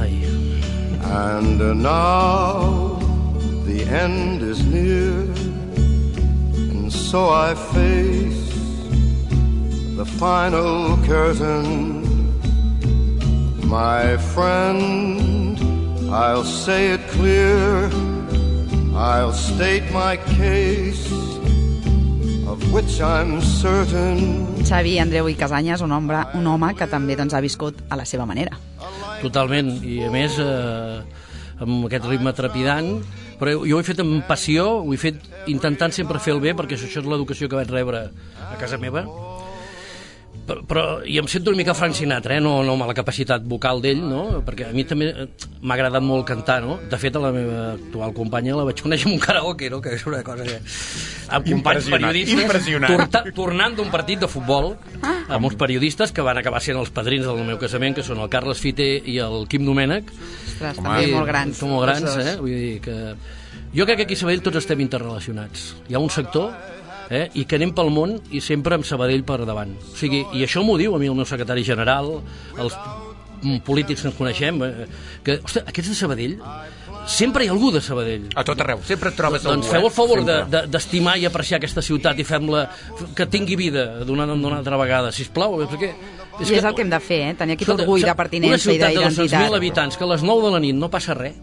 Ai. And uh, now the end is near, and so I face the final curtain. My friend, I'll say it clear, I'll state my case, of which I'm certain. Xavi Andreu i Casanyes, un home, un home que també doncs, ha viscut a la seva manera. Totalment, i a més eh, amb aquest ritme trepidant, però jo ho he fet amb passió, ho he fet intentant sempre fer el bé, perquè això és l'educació que vaig rebre a casa meva. Però, però i em sento una mica Frank Sinatra, eh? no, no amb la capacitat vocal d'ell, no? Perquè a mi també m'ha agradat molt cantar, no? De fet, a la meva actual companya la vaig conèixer en un karaoke, no? Que és una cosa que... amb companys periodistes, torta, tornant d'un partit de futbol, amb uns periodistes que van acabar sent els padrins del meu casament, que són el Carles Fité i el Quim Domènech. Ostres, també molt grans. Són molt grans, eh? Vull dir que... Jo crec que aquí a Sabadell tots estem interrelacionats. Hi ha un sector... Eh? i que anem pel món i sempre amb Sabadell per davant. O sigui, i això m'ho diu a mi el meu secretari general, els polítics que ens coneixem, eh? que, ostres, aquests de Sabadell, sempre hi ha algú de Sabadell. A tot arreu, sempre et trobes doncs algú. Feu el favor eh? d'estimar de, de, i apreciar aquesta ciutat i fem-la que tingui vida d'una altra vegada, sisplau, perquè... És I és que, el que hem de fer, eh? tenir aquest orgull de pertinença i d'identitat. Una ciutat de dos-cents mil habitants, que a les nou de la nit no passa res.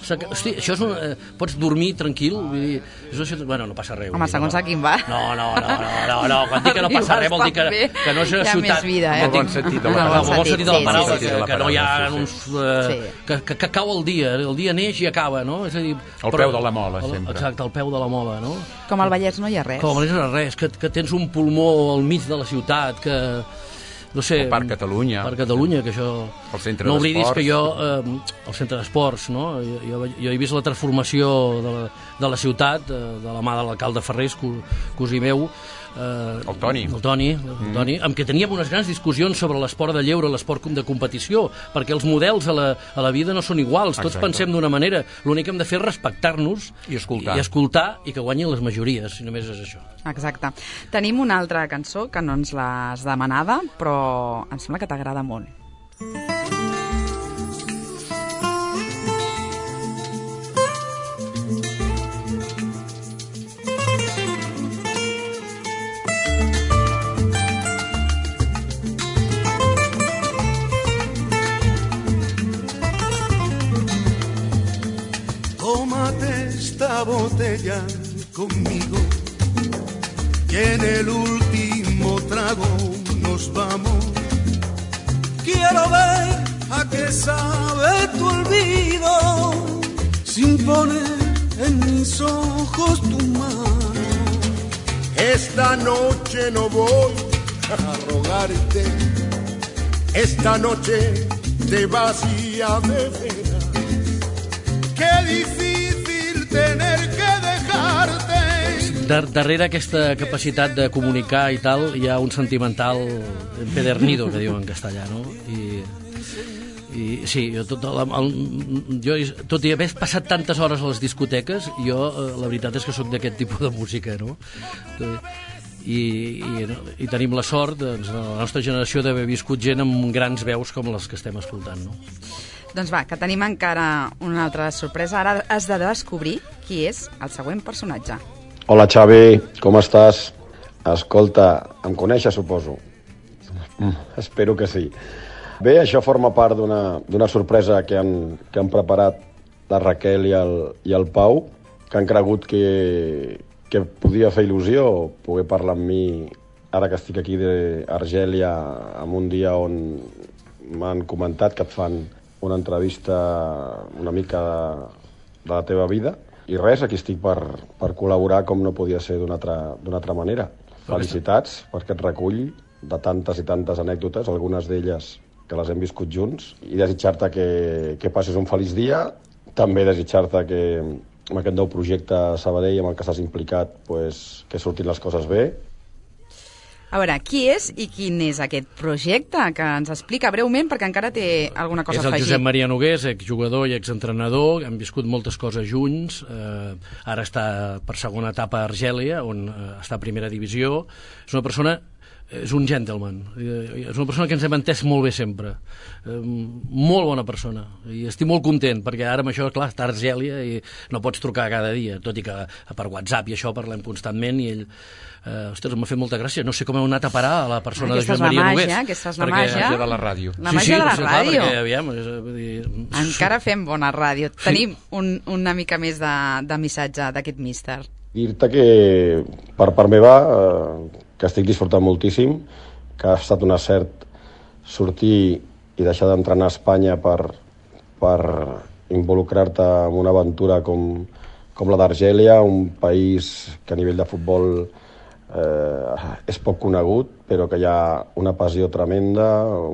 Hosti, això és un, eh, pots dormir tranquil, vull dir, és una ciutat... Bueno, no passa res. Home, dir, segons no, a quin va. No, no, no, no, no, no, quan dic que no passa res vol dir que, que no és una ciutat... Hi ha més vida, eh? En el bon sentit de la paraula. En el bon sentit de la paraula, sí, sí, que, que no hi ha sí, sí. uns... Eh, que, que, que cau el dia, el dia neix i acaba, no? És a dir... Al peu de la mola, sempre. Exacte, al peu de la mola, no? Com al Vallès no hi ha res. Com al Vallès no hi ha res, que, que tens un pulmó al mig de la ciutat, que... no sé, el Parc Catalunya. Parc Catalunya, que això... El centre no oblidis d'esports. que jo, eh, el centre d'esports, no? Jo, jo, jo he vist la transformació de la, de la ciutat, de, de la mà de l'alcalde Ferrés, cosí meu, eh, el Toni, el Toni, el mm. Toni, amb què teníem unes grans discussions sobre l'esport de lleure, l'esport de competició, perquè els models a la, a la vida no són iguals, tots Exacte. Pensem d'una manera, l'únic que hem de fer és respectar-nos i escoltar. I, i escoltar i que guanyin les majories, si només és això. Exacte. Tenim una altra cançó que no ens l'has demanada, però em sembla que t'agrada molt. Tómate esta botella conmigo y en el último trago nos vamos. Quiero ver a qué sabe tu olvido sin poner en mis ojos tu mano. Esta noche no voy a rogarte, esta noche te vas y a beber. Qué difícil tener que dejarte. Dar darrere aquesta capacitat de comunicar i tal, hi ha un sentimental empedernido, que diuen en castellà, no? I, i sí, jo tot, el, el, jo, tot i haver passat tantes hores a les discoteques, jo, la veritat és que sóc d'aquest tipus de música, no? I, i, i tenim la sort, doncs, la nostra generació, d'haver viscut gent amb grans veus com les que estem escoltant, no? Doncs va, que tenim encara una altra sorpresa. Ara has de descobrir qui és el següent personatge. Hola Xavi, com estàs? Escolta, em coneixes, suposo? Mm, espero que sí. Bé, això forma part d'una sorpresa que han, que han preparat la Raquel i el, i el Pau, que han cregut que, que podia fer il·lusió poder parlar amb mi ara que estic aquí d'Argèlia, en un dia on m'han comentat que et fan una entrevista una mica de, de la teva vida. I res, aquí estic per, per col·laborar com no podia ser d'una altra, d'una altra manera. Felicitats per aquest recull de tantes i tantes anècdotes, algunes d'elles que les hem viscut junts, i desitjar-te que, que passis un feliç dia. També desitjar-te que amb aquest nou projecte a Sabadell amb el que estàs implicat, pues, que surtin les coses bé. A veure, qui és i quin és aquest projecte? Que ens explica breument, perquè encara té alguna cosa a afegir. És el Josep Maria Nogués, exjugador i exentrenador, hem viscut moltes coses junts, eh, ara està per segona etapa a Argèlia, on eh, està a primera divisió. És una persona, és un gentleman, és una persona que ens hem entès molt bé sempre, eh, molt bona persona, i estic molt content, perquè ara amb això, clar, està a Argèlia i no pots trucar cada dia, tot i que per WhatsApp i això parlem constantment, i ell Uh, ostres, m'ha fet molta gràcia. No sé com heu anat a parar a la persona aquesta de Josep Maria Nogués. Aquesta és la màgia. Perquè... de la ràdio. La màgia sí, sí, de la sí, ràdio. Clar, perquè, aviam, és, dir... Encara fem bona ràdio. Tenim un, una mica més de, de missatge d'aquest míster. Dir-te que per part meva, eh, que estic disfrutant moltíssim, que ha estat un acert sortir i deixar d'entrenar a Espanya per, per involucrar-te en una aventura com, com la d'Argèlia, un país que a nivell de futbol Eh, és poc conegut, però que hi ha una passió tremenda,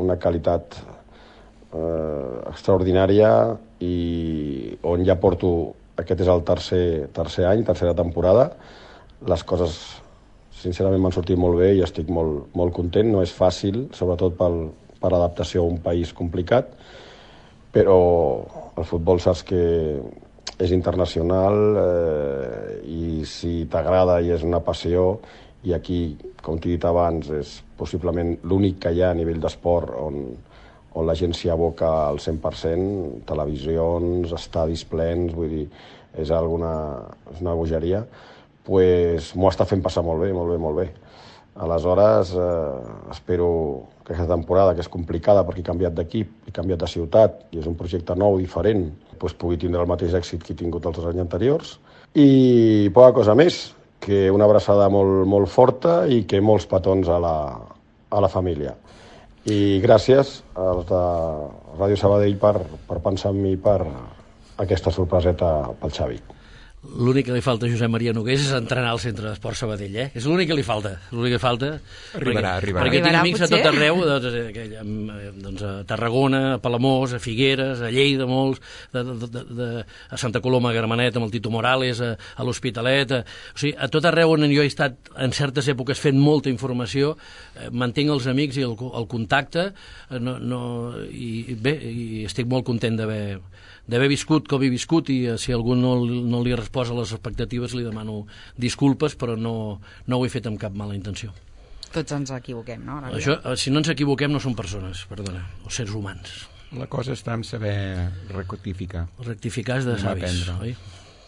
una qualitat eh, extraordinària, i on ja porto, aquest és el tercer, tercer any, tercera temporada. Les coses sincerament m'han sortit molt bé i estic molt, molt content. No és fàcil, sobretot pel, per l'adaptació a un país complicat, però el futbol saps que és internacional, eh, i si t'agrada i és una passió, i aquí, com t'he dit abans, és possiblement l'únic que hi ha a nivell d'esport on, on la gent s'hi aboca al cent per cent, televisions, estadis plens, vull dir, és, alguna, és una bogeria, pues m'ho està fent passar molt bé, molt bé, molt bé. Aleshores, eh, espero que aquesta temporada, que és complicada perquè he canviat d'equip, he canviat de ciutat, i és un projecte nou, diferent, pues pugui tindre el mateix èxit que he tingut els anys anteriors. I poca cosa més, que una abraçada molt, molt forta i que molts petons a la, a la família. I gràcies als de Ràdio Sabadell per, per pensar en mi per aquesta sorpreseta pel Xavi. L'únic que li falta a Josep Maria Nogués és entrenar al Centre d'Esport Sabadell, eh? És l'únic que li falta. L'únic que falta... Arribarà, perquè, arribarà. Perquè tinc amics potser? a tot arreu, doncs, doncs a Tarragona, a Palamós, a Figueres, a Lleida, molts, de, de, de, de, a Santa Coloma, a Gramenet, amb el Tito Morales, a, a l'Hospitalet... A, o sigui, a tot arreu on jo he estat en certes èpoques fent molta informació, eh, mantinc els amics i el, el contacte, eh, no, no, i bé, i estic molt content d'haver... d'haver viscut com he viscut, i si algú no, no li resposa a les expectatives li demano disculpes, però no, no ho he fet amb cap mala intenció. Tots ens equivoquem, no? Això, si no ens equivoquem no són persones, perdona, o sers humans. La cosa està en saber rectificar. Rectificar és de savis, oi?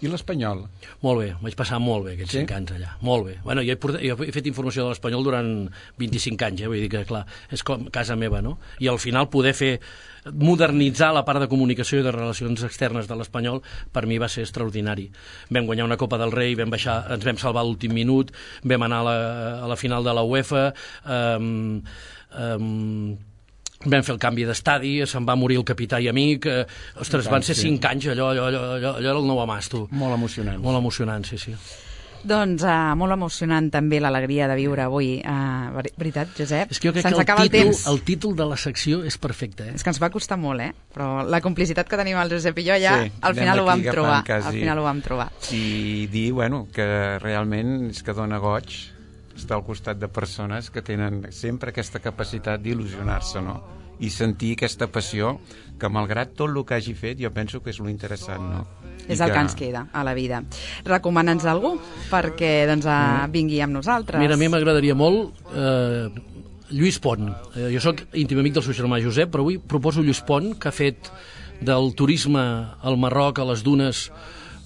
I l'Espanyol? Molt bé, vaig passar molt bé aquests sí? cinc anys allà, molt bé. Bueno, jo, he portat, jo he fet informació de l'Espanyol durant vint-i-cinc anys, eh? Vull dir que, clar, és com casa meva, no? I al final poder fer, modernitzar la part de comunicació i de relacions externes de l'Espanyol, per mi va ser extraordinari. Vam guanyar una Copa del Rei, vam baixar, ens vam salvar l'últim minut, vam anar a la, a la final de la UEFA, um, um, vam fer el canvi d'estadi, se'n va morir el capità i amic, eh, ostres, van ser cinc anys, allò, allò, allò, allò, allò era el nou amàs, tu. Molt emocionant. Molt emocionant, sí, sí. Doncs uh, molt emocionant també l'alegria de viure avui. Uh, veritat, Josep? És que jo crec se'ns que acaba el el títol, temps. el títol de la secció és perfecte, eh? És que ens va costar molt, eh? Però la complicitat que tenim el Josep i jo ja, sí, al final ho vam trobar. Quasi. Al final ho vam trobar. I dir, bueno, que realment és que dona goig estar al costat de persones que tenen sempre aquesta capacitat d'il·lusionar-se, no? I sentir aquesta passió que, malgrat tot el que hagi fet, jo penso que és lo interessant, no? És el que... que ens queda a la vida. Recomana'ns algú perquè doncs, mm. vingui amb nosaltres. Mira, a mi m'agradaria molt eh, Lluís Pont. Eh, jo sóc íntim amic del seu germà Josep, però avui proposo Lluís Pont, que ha fet del turisme al Marroc, a les dunes,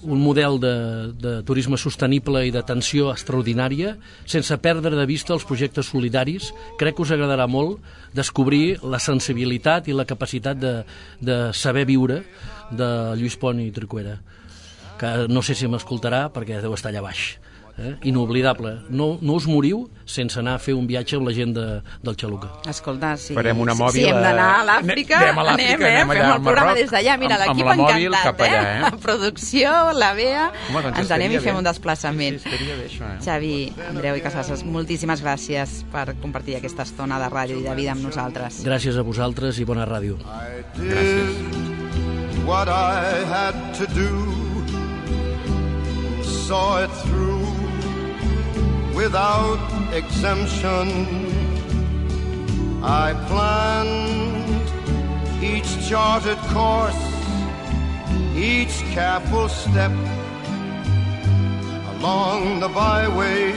un model de, de turisme sostenible i d'atenció extraordinària, sense perdre de vista els projectes solidaris. Crec que us agradarà molt descobrir la sensibilitat i la capacitat de, de saber viure de Lluís Pont i Tricuera, que no sé si m'escoltarà perquè deu estar allà baix. Eh? Inoblidable. No, no us moriu sense anar a fer un viatge amb la gent de, del Xaluca. Escolta, si, farem una mòbil, si hem d'anar a l'Àfrica, anem, a anem, eh? anem Fem el programa des d'allà. Mira, l'equip encantat, allà, eh? La producció, la Bea, Home, doncs ens anem i fem bé. un desplaçament. Sí, sí, bé, això, eh? Xavi, Andreu i Casasses, moltíssimes gràcies per compartir aquesta estona de ràdio i de vida amb nosaltres. Gràcies a vosaltres i bona ràdio. Gràcies. What I had to do, saw it through without exemption. I planned each charted course, each careful step along the byway,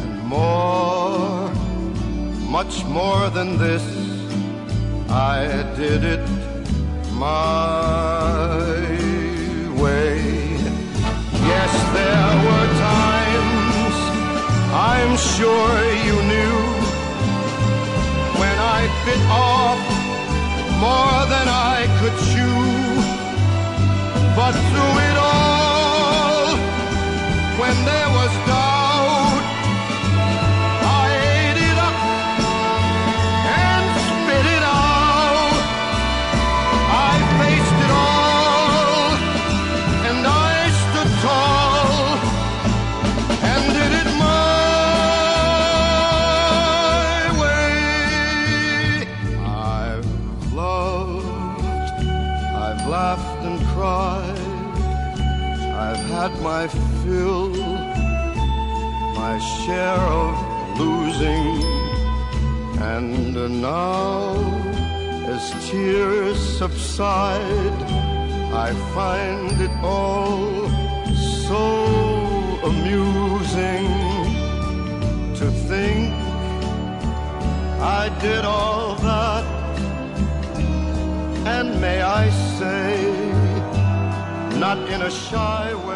and more, much more than this, I did it my way. Yes, there were times, I'm sure you knew, when I bit off more than I could chew. But through it all, when there was doubt, I ate it up and spit it out. I faced it all, and I stood tall and did it my way. I've loved, I've laughed and cried, I've had my fill, my share of losing, and now as tears subside, I find it all so amusing to think I did all that, and may I say, not in a shy way.